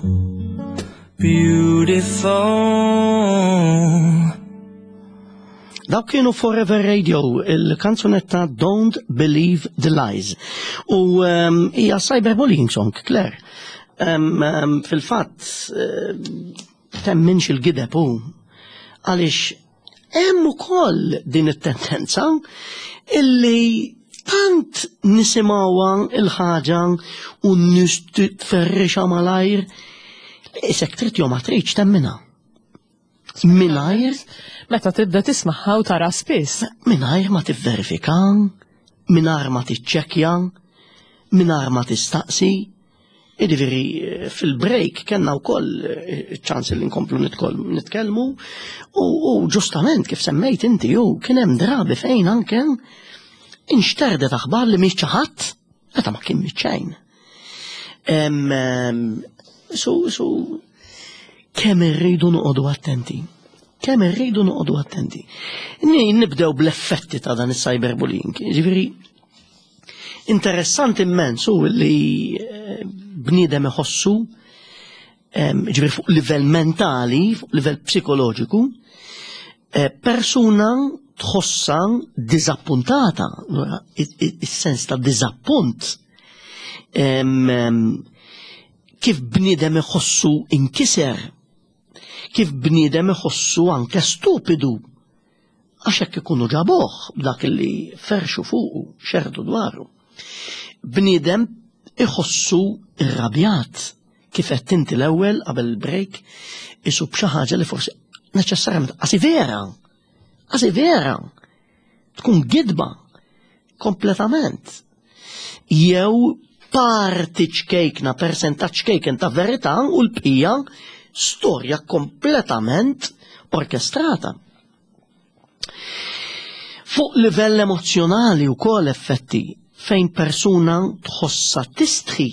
beautiful. Dawk kienu Forever Radio, il-kanzunetta Don't Believe the Lies. U ehm, hija um, cyberbullying song, Claire. Um, um, Fil-fatt, uh, temminx il-gideb u għaliex hemm ukoll din it-tendenza illi tant nisimgħuha il-ħaġa u nies tferrixa malajr li isek trid jew ma tridx temminha. Mingħajr meta tibda tismaħħa u tara spiss. Mingħajr ma tivverifika, mingħajr ma tiċċekkja, mingħajr ma tistaqsi. Jiġifieri fil-break kellna wkoll eh, ċans li nkomplu nitkellmu u ġustament kif semmejt inti u kien hemm drabi fejn anke inxterdet aħbar li mhix ħadd meta ma kien xejn. Su, su, kemm irridu noqogħdu attenti. Kemm irridu noqogħdu attenti. Nibdew bl-effetti ta' dan is-cyberbullying. Ġifieri, Interessanti immens hu li eh, bniedem iħossu ġifieri fuq livell mentali, fuq livell psikoloġiku, eh, persuna tħossa diżappuntata, is-sens ta' diżappunt kif bniedem iħossu inkiser, kif bniedem iħossu anke stupidu Għax hekk ikunu ġabuh b'dak li ferxu fuqu, xerdu dwaru. Bniedem iħossu irrabjat kif qed inti l-ewwel qabel il-break isu b'xi ħaġa li forsi neċessarjament qasi vera. Qasi vera. Tkun gidba kompletament. Jew parti ċkejkna, persentaġġ ċkejken ta' verità u l-bqija storja kompletament orkestrata. Fuq livell emozzjonali u kol effetti fejn persuna tħossa tistħi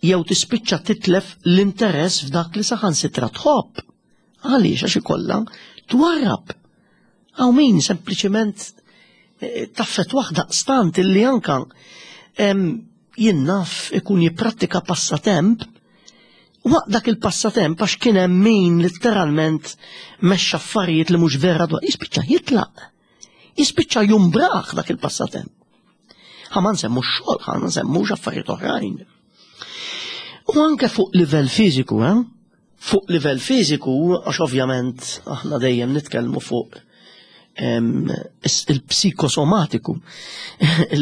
jew tispiċċa titlef l-interess f'dak li saħansitra tħobb. Għaliex għax ikollha twarrab. Hawn min sempliċement eh, taffet waħda stant illi anka jien naf ikun jipprattika passatemp waqt dak il-passatemp għax kien hemm min letteralment mexxa affarijiet li mhux vera dwar jispiċċa jitlaq. Jispiċċa jumbraħ dak il-passatemp. Ħa ma nsemmu x-xogħol, ħa ma nsemmux affarijiet oħrajn. U anke fuq livell fiżiku, eh? Fuq livell fiżiku, għax ovvjament aħna dejjem nitkellmu fuq il-psikosomatiku,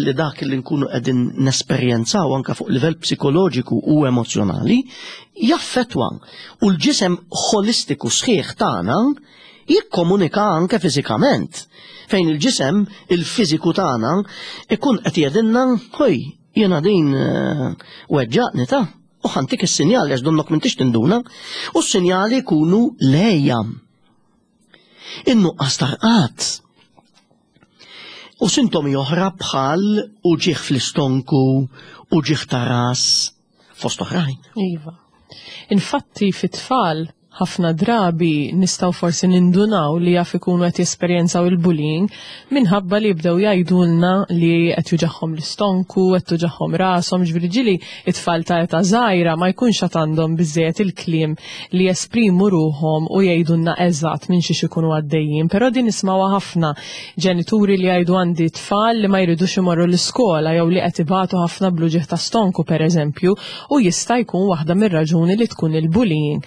li dak li nkunu qegħdin nesperjenzaw anke fuq livell psikoloġiku u emozjonali, jaffettwa u l-ġisem ħolistiku sħiħ tagħna jikkomunika anke fiżikament. Fejn il-ġisem, il-fiżiku tagħna, ikun qed jgħidilna, ħoj, jiena din eh, weġġaqni ta' u ħantik is-sinjali għax donnok m'intix tinduna, u s-sinjali jkunu lejja. In-nuqqas tarqat. U sintomi oħra bħal uġigħ fl-istonku, uġigħ ta' ras, fost oħrajn. Iva. Infatti fit-tfal ħafna drabi nistgħu forsi nindunaw li jaf ikunu qed jesperjenzaw il-bullying minħabba li jibdew jgħidulna li qed juġagħhom l-istonku, qed tuġagħhom rashom, ġifieri ġieli it-tfal ta' età żgħira ma jkunx għad għandhom biżżejjed il-kliem li jesprimu ruħhom u jgħidulna eżatt minn xiex ikunu għaddejjin, però din nismgħuha ħafna ġenituri li jgħidu għandi tfal li ma jridux imorru l-iskola jew li qed ibatu ħafna bl-uġigħ ta' stonku pereżempju u jista' jkun waħda mir-raġuni li tkun il-bullying.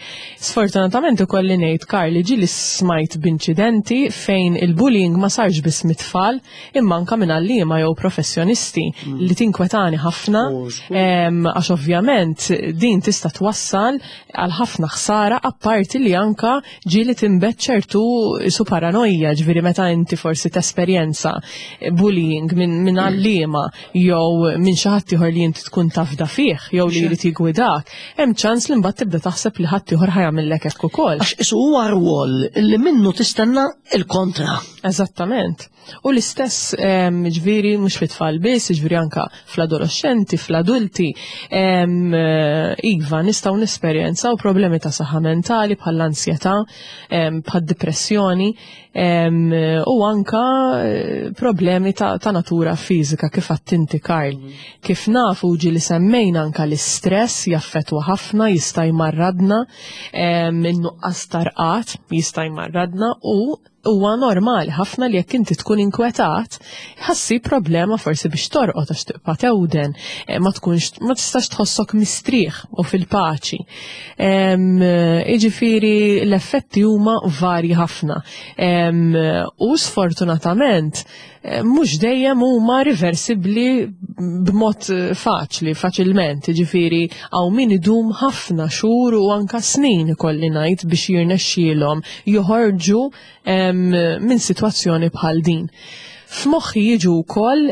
Sfortunatament ikolli ngħid Karl li ġieli smajt b'inċidenti fejn il-bullying ma sarx biss mit-tfal imma anka minn għalliema jew professjonisti mm. li tinkwetani ħafna għax ovvjament din tista' twassal għal ħafna ħsara apparti li anka ġieli tinbet ċertu su paranoja ġifieri meta inti forsi tesperjenza bullying minn min għalliema jew minn xi ħadd ieħor li inti tkun tafda fih jew li jrid jigwidak, hemm ċans li mbagħad tibda taħseb li ħadd ieħor ħajamillek hekk ukoll. Għax isu huwa rwol li minnu tistenna il-kontra. Eżattament. U l-istess ġifieri mhux fit-tfal biss, ġifieri anka fl-adolescenti, fl-adulti, iva nistgħu nesperjenzaw problemi ta' saħħa mentali bħall-ansjetà, bħad-depressjoni u anka eh, problemi ta', ta natura fiżika kif għattinti Karl. Kif nafu ġi li semmejna anka l-istress jaffetwa ħafna, jista' jmarradna, in-nuqqas tarqat jista' jmarradna u huwa normali ħafna li jekk inti tkun inkwetat, ħassi problema forsi biex torqod għax tibqa' tewden, eh, ma tkunx ma tistax tħossok mistrieħ u fil-paċi. Jiġifieri l-effetti huma varji ħafna. U sfortunatament eh, mhux dejjem huma riversibbli b'mod eh, faċli, faċilment, ġifieri hawn min idum ħafna xhur u anka snin ikolli ngħid biex jirnexxielhom joħorġu minn sitwazzjoni bħal din. F'moħħi jiġu wkoll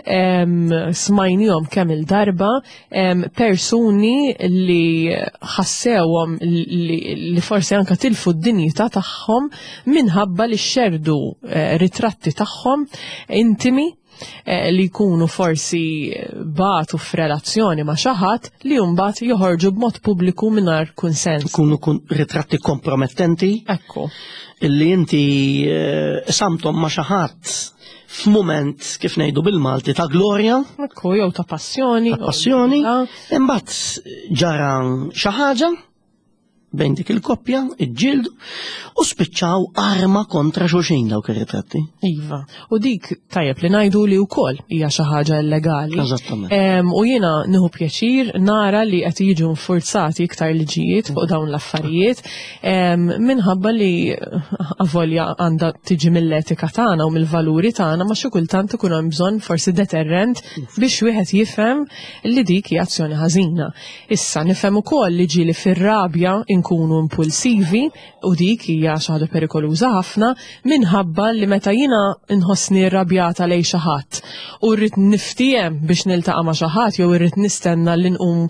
smajnihom kemm il-darba persuni li ħassewhom li, li forsi anka tilfu d-dinjità tagħhom minħabba li xerdu eh, ritratti tagħhom intimi eh, li jkunu forsi batu f'relazzjoni ma' xi ħadd li mbagħad joħorġu b'mod pubbliku mingħajr kunsens. Ikunu kun ritratti kompromettenti. Ekku. Illi inti eh, samtom ma' xi ħadd f'mument kif ngħidu bil-Malti ta' glorja. Ekku, jew ta' passjoni. Ta' passjoni. Imbagħad ġara xi ħaġa bejn dik il-koppja, iġġieldu, u spiċċaw arma kontra xulxin dawk ir-ritratti. Iva, u dik tajjeb li ngħidu li wkoll hija xi ħaġa illegali. Eżattament. U jiena nieħu pjaċir nara li qed jiġu nfurzati iktar liġijiet fuq dawn l-affarijiet minħabba li avolja għandha tiġi mill-etika tagħna u mill-valuri tagħna ma xi kultant ikun hemm bżonn forsi deterrent biex wieħed jifhem li dik hija azzjoni ħażina. Issa nifhem ukoll li ġieli fir-rabja nkunu impulsivi u dik hija xi ħaġa perikoluża ħafna minħabba li meta jiena nħossni rrabjata lejn xi ħadd u rrid niftiehem biex niltaqa' ma' xi ħadd jew irrid nistenna li nqum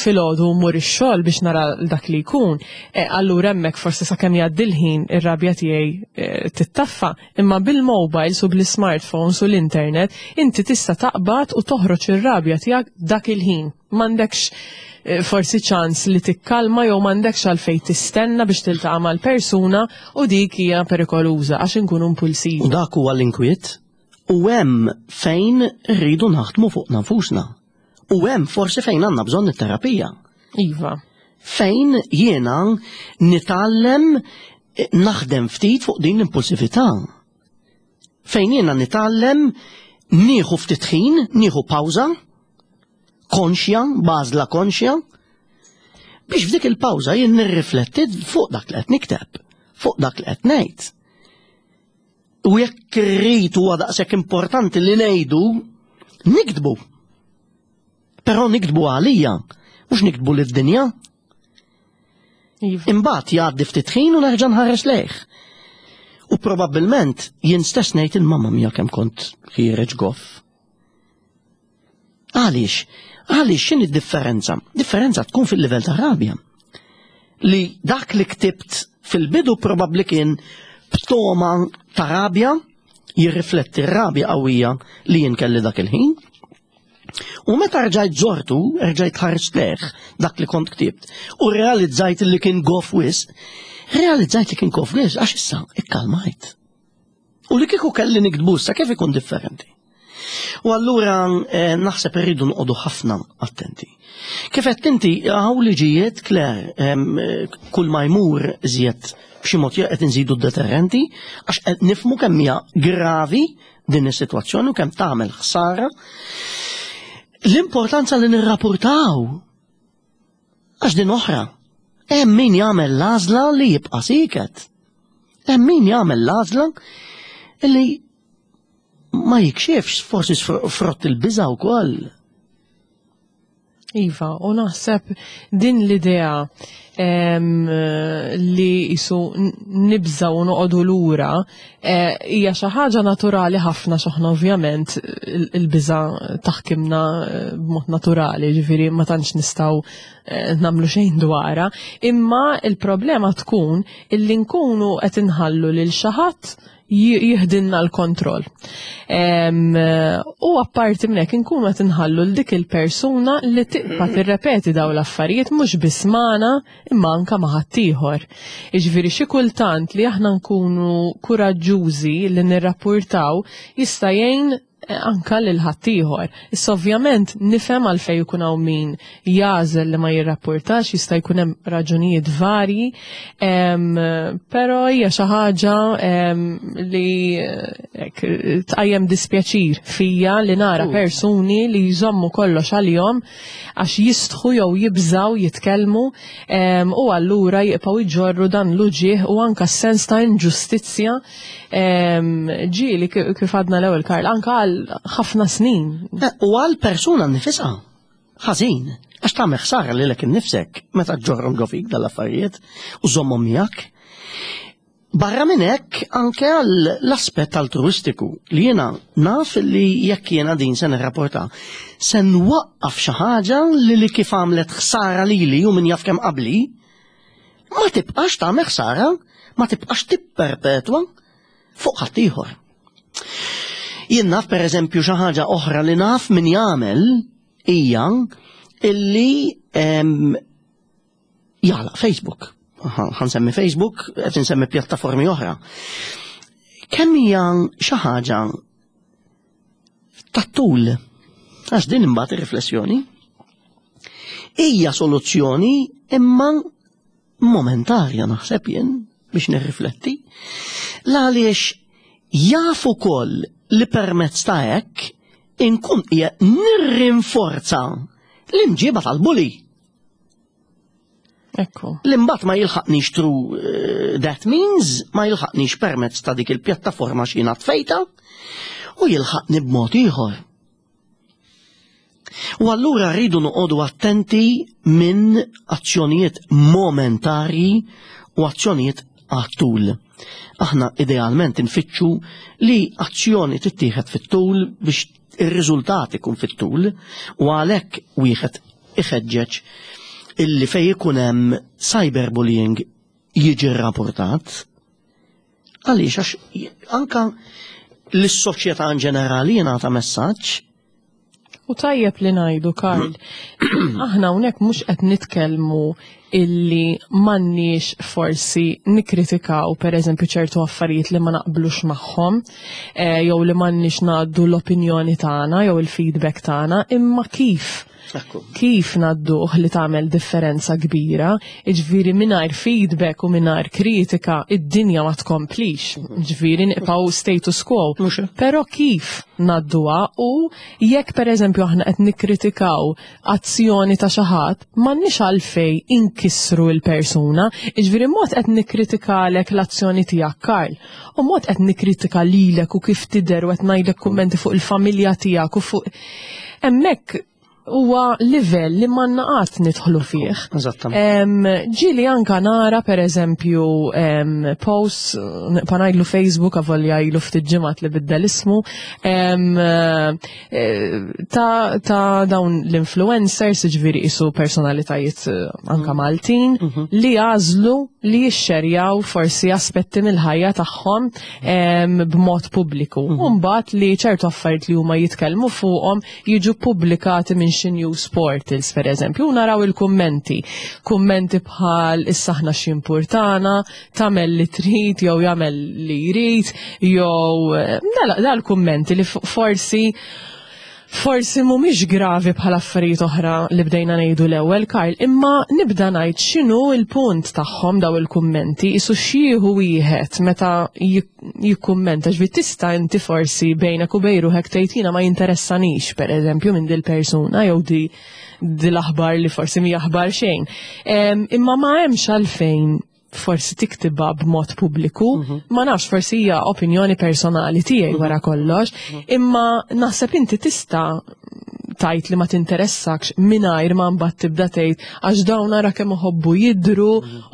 filgħodu u mmur ix-xogħol biex nara dak li jkun, eh, allura hemmhekk forsi sakemm jgħaddi l-ħin ir-rabja tiegħi eh, tittaffa. Imma bil-mobiles u bl-smartphones u l-internet inti tista' taqbad u toħroġ ir-rabja tiegħek dak il-ħin. M'għandekx eh, forsi ċans li tikkalma jew m'għandekx għalfejn tistenna biex tiltaqa' mal-persuna u dik hija perikoluża għax inkunu impulsivi. U dak huwa l-inkwiet u hemm fejn rridu naħdmu fuq nafusna. U hemm forsi fejn għandna bżonn it-terapija. Iva. Fejn jiena nitgħallem eh, naħdem ftit fuq din l-impulsività. Fejn jiena nitgħallem nieħu ftit ħin, nieħu pawża, konxja, bażla konxja, biex f'dik il-pawża jien nirrifletti fuq dak li qed nikteb, fuq dak li qed ngħid. U jekk irrid huwa daqshekk importanti li ngħidu, niktbu. Però niktbu għalija, mhux niktbu lid-dinja. Iva. Imbagħad jgħaddi ftit ħin u nerġa' nħares lejh. U probabbilment jien stess ngħid il-mamma mija kemm kont ħiereġ goff. Għaliex? Għaliex x'inhi d-differenza? Differenza tkun fil-livell ta' rabja. Li dak li ktibt fil-bidu probabbli kien b'toma ta' rabja jirrifletti r-rabja qawwija li jien kelli dak il-ħin. U meta rġajt żortu, rġajt ħarġt leħ dak li kont ktibt, u realizzajt li kien gof wisq, realizzajt li kien gof wisq għax issa ikkalmajt. U li kieku kelli niktbu issa kif ikun differenti? U allura eh, naħseb irridu nqogħdu ħafna attenti. Kif qed inti hawn liġijiet Claire eh, kull ma jmur iżjed b'xi mod qed inżidu d-deterrenti għax qed nifmu kemm hija gravi din is-sitwazzjoni u kemm tagħmel ħsara. L-importanza li nirrapportaw Għax din oħra, hemm min jagħmel l-għażla li jibqa' siket. Hemm min jagħmel l-għażla li ma jikxifx forsi frott il-biża' wkoll. Iva, u naħseb din l-idea li jisu nibżaw u noqogħdu lura eh, hija xi ħaġa naturali ħafna x'aħna ovvjament il-biża taħkimna eh, b'mod naturali, ġifieri ma tantx nistgħu eh, nagħmlu xejn dwarha, imma il-problema tkun illi nkunu qed inħallu lil xi ħadd Jiħdilna l-kontroll. U apparti minn hekk inkunu qed inħallu l dik il-persuna li tibqa' tirrepeti dawn l-affarijiet mhux biss magħna imma anka ma' ħaddieħor. Jiġifieri xi kultant li aħna nkunu kuraġġużi li nirrappurtaw jista' jgħin anka lil ħaddieħor. Issa ovvjament nifhem għalfejn ikun hawn min jagħżel li ma jirrapportax, jista' jkun hemm raġunijiet varji, però hija xi ħaġa li tqajjem dispjaċir fija li nara persuni li jżommu kollox għalihom għax jistħu jew jibżaw jitkellmu u allura jibqgħu jġorru dan l-uġigħ u anka s-sens ta' inġustizzja ġieli kif għadna l-ewwel Karl anka għal ħafna snin. Eh, u għal persuna nifisha ħażin għax tagħmel ħsara lilek innifsek meta ġorrom ġo fik dal-affarijiet u żommhom miegħek. Barra minn hekk anke għall-aspett altruistiku li jiena naf li jekk jiena din se nirrapporta se nwaqqaf xi ħaġa li li kif għamlet ħsara lili u min jaf kemm qabli ma tibqax tagħmel ħsara, ma tibqax tipperpetwa fuq ħaddieħor. Jien naf pereżempju xi ħaġa oħra li naf min jagħmel hija illi jagħlaq Facebook. Ħansemmi Facebook, qed insemmi pjattaformi oħra. Kemm hija xi ħaġa tat-tul, għax din imbagħad ir-riflessjoni, hija soluzzjoni imma momentarja naħseb jien biex nirrifletti, l għaliex jaf ukoll li permezz ta' hekk inkun qiegħed nirrinforza l-imġiba tal-bully. Ekku. Li mbagħad ma jilħaqnix through eh, that means, ma jilħaqnix permezz ta' dik il-pjattaforma x'jiena tfejta u jilħaqni b'mod ieħor. U allura rridu noqogħdu attenti minn azzjonijiet momentarji u azzjonijiet għat-tul. Aħna idealment infittxu li azzjoni tittieħed fit-tul biex ir-riżultat ikun fit-tul u għalhekk wieħed iħeġġeġ illi fej ikun hemm cyberbullying jiġi rrapportat. Għaliex għax anka lis-soċjetà in ġenerali jingħata messaġġ. U tajjeb li ngħidu, Karl, aħna hawnhekk mhux qed nitkellmu illi m'għandniex forsi nikkritikaw pereżempju ċertu affarijiet li ma naqblux magħhom, eh, jew li m'għandniex ngħaddu l-opinjoni tagħna jew il-feedback tagħna, imma kif Kif ngħadduh li tagħmel differenza kbira, jiġifieri mingħajr feedback u mingħajr kritika id-dinja ma tkomplix, jiġifieri nibqgħu status quo. Però kif ngħadduha u jekk pereżempju aħna qed nikkritikaw azzjoni ta' xi ħadd, m'għandniex għalfejn inkissru l-persuna, jiġifieri mod qed nikkritikalek l-azzjoni tiegħek Karl, u mod qed nikkritika lilek u kif tidher u qed ngħidlek kummenti fuq il-familja tiegħek u fuq hemmhekk huwa livell li m'għandna qatt nidħlu fih. Eżattament. Ġieli anka nara pereżempju posts nibqa' ngħidlu Facebook avolja ilu ftit ġimgħat li biddel ismu eh, ta', ta dawn l-influencers, ġifieri isu personalitajiet eh, anka mhm. Maltin, mhm. li għażlu li jixxerjaw forsi aspetti mill-ħajja tagħhom b'mod pubbliku. Mhm. U mbagħad li ċertu affarijiet li huma jitkellmu fuqhom jiġu pubblikati minn xi news portals pereżempju, u naraw il-kummenti. Kummenti bħal issa aħna x'jimpurtana, tagħmel li trid jew jagħmel li jrid, jew eh, dal-kummenti li forsi forsi mhumiex gravi bħal affarijiet oħra li bdejna ngħidu l-ewwel Karl, imma nibda ngħid x'inhu l-punt tagħhom daw il-kummenti, isu xieħu wieħed meta jikkummenta ġbi tista' inti forsi bejnek u bejn ruħek tgħid jiena ma jinteressanix pereżempju minn dil-persuna jew di l-aħbar li forsi mhi aħbar xejn. Imma ma hemmx għalfejn forsi tiktibha b'mod pubbliku, mhm. ma nafx forsi hija opinjoni personali tiegħi mhm. wara kollox, mhm. imma naħseb inti tista' tajt li ma tinteressakx mingħajr ma mbagħad tibda tgħid għax dawn ara kemm iħobbu jidhru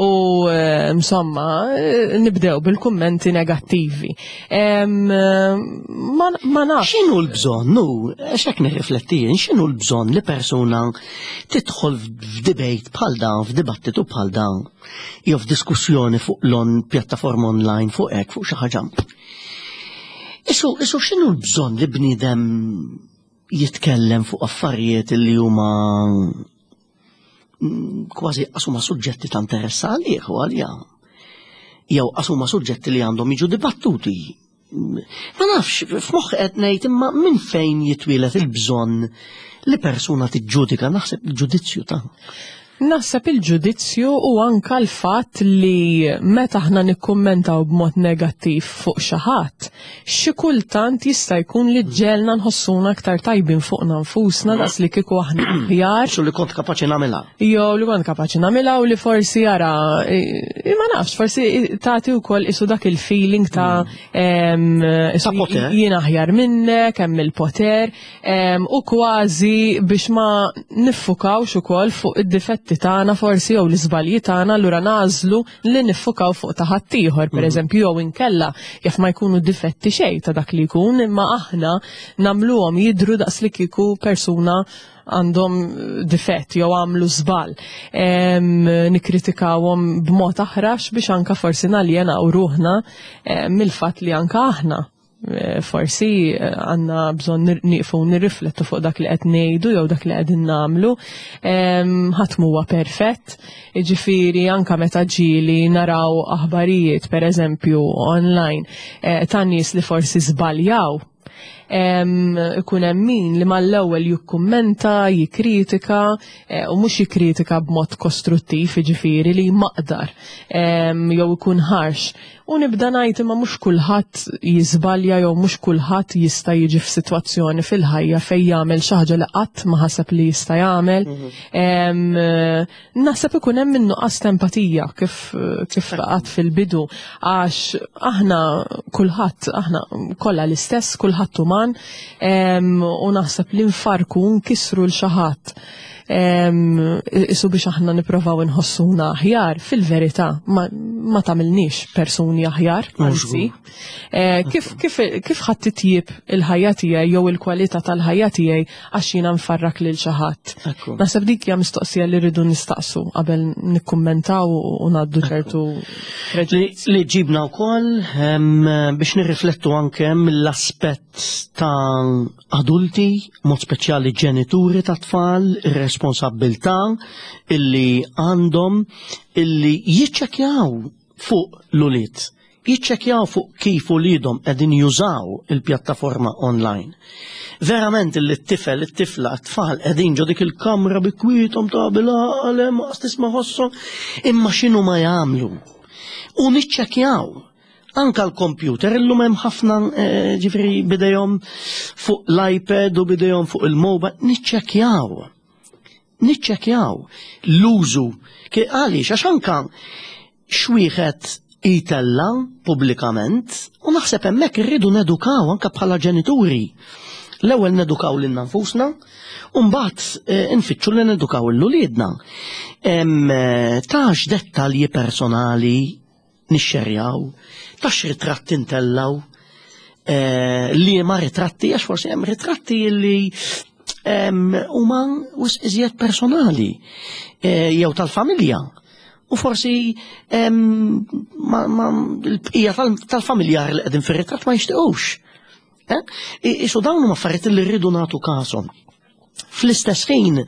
u eh, insomma eh, nibdew bil-kummenti negattivi. Eh, ma nafx. X'inhu l-bżonn, nu, x'hekk nirrifletti jien, x'inhu l-bżonn li persuna tidħol f'debate bħal dan, f'dibattitu bħal dan, jew f'diskussjoni fuq l-on pjattaforma online fuq hekk fuq xi ħaġa. Isu, isu x'inhu l-bżonn li bniedem jitkellem fuq affarijiet li huma kważi qasuma suġġetti ta' interess għalih u għalija. Jew qasuma suġġetti li għandhom jiġu dibattuti. Ma nafx, f'moħħi qed ngħid imma minn fejn jitwielet il-bżonn li persuna tiġġudika naħseb il-ġudizzju ta' Naħseb il-ġudizzju u anka l-fatt li meta aħna nikkummentaw b'mod negattiv fuq xi ħadd, xi kultant jista' jkun li ġelna nħossuna aktar tajbin fuqna nfusna daqs li kieku aħna aħjar. Xu li kont kapaċi nagħmilha. Jew li kont kapaċi nagħmilha u li forsi jara, ma nafx, forsi tagħti wkoll isu dak il-feeling ta' ta' poter. Jien aħjar minnek, hemm il-poter. U kważi biex ma niffukawx ukoll fuq id-difetti tagħna forsi jew l-iżbalji tagħna allura nagħżlu li niffukaw fuq ta' ħaddieħor, pereżempju jew inkella jaf ma jkunu difetti xejn ta' dak li jkun, imma aħna nagħmluhom jidhru daqs li kieku persuna għandhom difett jew għamlu żball. Nikkritikawhom b'mod aħrax biex anka forsi naljenaw ruħna mill-fatt li anka aħna forsi għandna bżonn nieqfu nirriflettu fuq dak li qed ngħidu jew dak li qegħdin nagħmlu. Ħadd m'huwa perfett, jiġifieri anke meta ġieli naraw aħbarijiet pereżempju online ta' nies li forsi żbaljaw, ikun hemm min li mal-ewwel jikkummenta, jikkritika, u mhux jikkritika b'mod kostruttiv, jiġifieri li jmaqdar jew ikun ħarx. U nibda ngħid imma mhux kulħadd jiżbalja jew mhux kulħadd jista' jiġi f'sitwazzjoni fil-ħajja fejn jagħmel xi ħaġa li qatt ma ħaseb li jista' jagħmel. Naħseb ikun hemm in-nuqqas ta' empatija kif kif qatt fil-bidu għax aħna kulħadd aħna kollha l-istess, kulħadd uman u naħseb li nfarku nkissru l xi ħadd isu biex aħna nipprovaw inħossuna aħjar, fil-verità ma, ma tagħmilniex persuni aħjar, anzi. Kif, kif, kif ħadd titjib il-ħajja tiegħi jew il-kwalità tal-ħajja tiegħi għax jiena nfarrak lil xi ħadd. Naħseb dik hija mistoqsija li rridu nistaqsu qabel nikkummentaw u ngħaddu ċertu Li ġibna wkoll biex nirriflettu anke mill-aspett ta' adulti, mod speċjali ġenituri ta' tfal, ir-responsabbiltà illi għandhom illi jiċċekkjaw fuq l-ulied, jiċċekkjaw fuq kif uliedhom qegħdin jużaw il-pjattaforma online. Verament illi t-tifel, it-tifla, t-tfal qegħdin ġo dik il-kamra bi kwiethom ta' bil-għaqal hemm tisma' ħosshom, imma x'inhu ma jagħmlu. U niċċekkjaw Anka l-computer illum hemm ħafna eh, ġifieri bidejhom fuq l-iPad u bidejhom fuq il-mobile, niċċekkjaw. Niċċekkjaw l-użu. Għaliex għax anka xwieħed jitella pubblikament u naħseb hemmhekk irridu nedukaw anka bħala ġenituri. L-ewwel nedukaw lilna nfusna, u mbagħad eh, nfittxu li nedukaw l-uliedna. Eh, tax dettalji personali nixxerjaw, ta' x'ritratti ntellgħu, eh, liema ritratti, għax forsi hemm ritratti li huma wisq iżjed personali eh, jew tal-familja. U forsi l-bqija tal-familjar li qegħdin fir-ritratt ma jixtiequx. Eh? Isu dawn huma affarijiet li rridu nagħtu każhom. Fl-istess ħin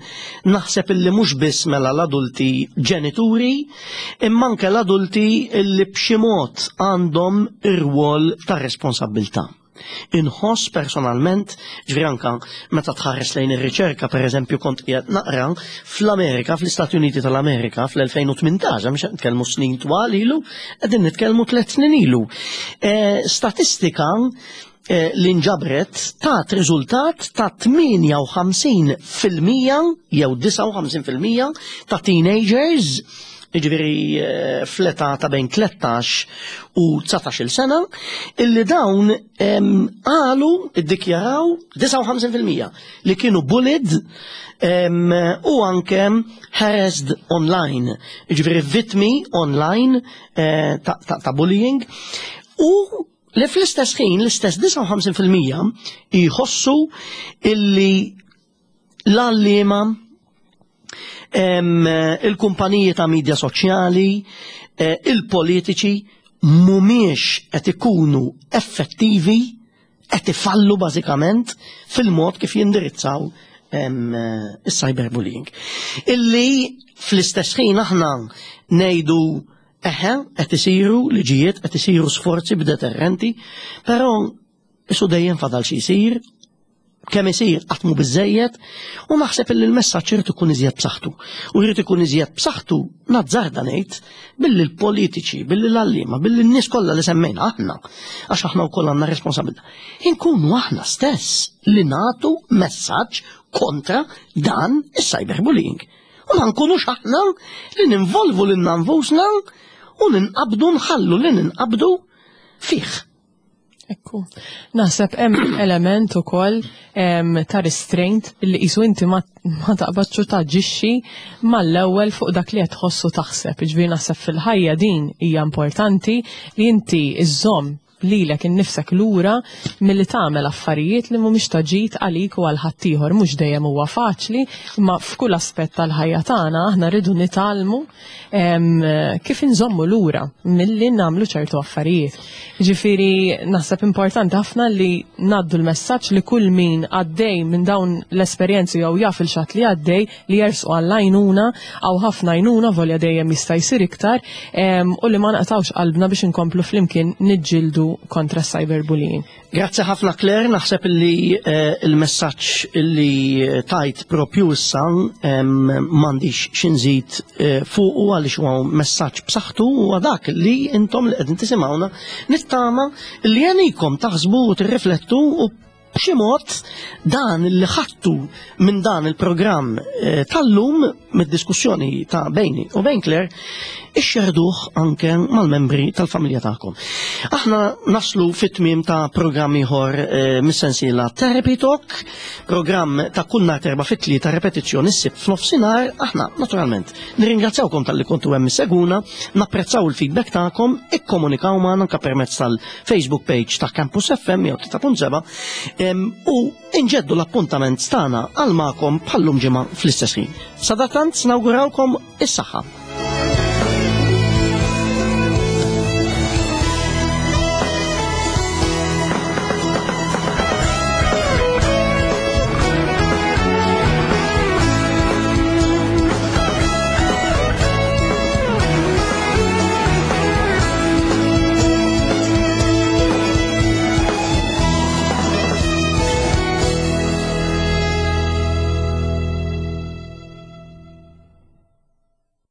naħseb illi mhux biss mela l-adulti ġenituri, imma anke l-adulti illi b'xi mod għandhom ir-rwol ta' responsabbiltà. Inħoss personalment, ġifieri anka meta tħares lejn ir-riċerka, pereżempju kont qiegħed naqra fl-Amerika, fl-Istati Uniti tal-Amerika fl-2018, mhux qed nitkellmu snin twal ilu, qegħdin nitkellmu tliet snin ilu. Eh, statistika Eh, li nġabret tat riżultat ta' 58% jew 59% ta' teenagers jiġifieri eh, fl-età ta' bejn 13 u 19 sena, illi dawn qalu iddikjaraw 59% li kienu bullied u anke harassed online, jiġifieri vittmi online eh, ta' bullying u Li fl-istess ħin l-istess 59% jħossu illi l-għalliema il-kumpaniji ta' media soċjali, eh, il-politiċi mumiex qed ikunu effettivi qed ifallu bażikament fil-mod kif jindirizzaw is-cyberbullying. Illi fl-istess ħin aħna ngħidu eħe qed isiru liġijiet, qed isiru sforzi b'deterrenti, però isu dejjem fadal xi jsir, kemm isir qatt mhu biżejjed u naħseb illi l-messaġġ irid ikun iżjed b'saħħtu. U jrid ikun iżjed b'saħħtu nazzarda ngħid billi l-politiċi, billi l-għalliema, billi n-nies kollha li semmejna aħna, għax aħna wkoll għandna responsabilità. Inkunu aħna stess li nagħtu messaġġ kontra dan is-cyberbullying. U ma nkunux aħna li ninvolvu lilna nfusna u ninqabdu nħallu li ninqabdu fih. Ekku. Naħseb hemm element ukoll ta' restraint li qisu inti ma, ma taqbadx u taġixxi mal-ewwel fuq dak li qed tħossu taħseb. Ġifieri naħseb fil-ħajja din hija importanti li inti iżżomm lilek innifsek lura milli tagħmel affarijiet li mhumiex ta' ġid għalik u għal ħaddieħor. Mhux dejjem huwa faċli, imma f'kull aspett tal-ħajja tagħna aħna rridu nitgħallmu kif inżommu lura milli nagħmlu ċertu affarijiet. Ġifieri naħseb importanti ħafna li ngħaddu l-messaġġ li kull min għaddej minn dawn l-esperjenzi jew jaf il xatt li għaddej li jersqu għall-għajnuna għaw ħafna għajnuna volja dejjem jista' jsir iktar u li ma naqtawx qalbna biex inkomplu flimkien niġġieldu kontra cyberbullying. Grazzi ħafna Claire, naħseb li il-messaġġ li tajt propju issa m'għandix xi nżid fuqu għaliex huwa messaġġ b'saħħtu huwa dak li intom li qegħdin tisimgħuna nittama li għenikom taħsbu u tirriflettu u b'xi mod dan li ħadtu minn dan il-programm tal-lum mid-diskussjoni ta' bejni u bejn Claire ixxerduh anke mal-membri tal-familja tagħkom. Aħna naslu fit-tmiem ta' programm ieħor mis-sensiela Therapy Talk, programm ta' kull nhar terba' fit-tlieta repetizzjoni s-sibt f'nofsinhar. Aħna naturalment nirringrazzjawkom talli kontu hemm issegwuna, napprezzaw il-feedback tagħkom, ikkomunikaw magħna anke permezz tal-Facebook page ta' Campus FM 103.7 u inġeddu l-appuntament tagħna għal magħkom bħallum ġimgħa fl-istess ħin. Sadattant nawgurawkom is-saħħa.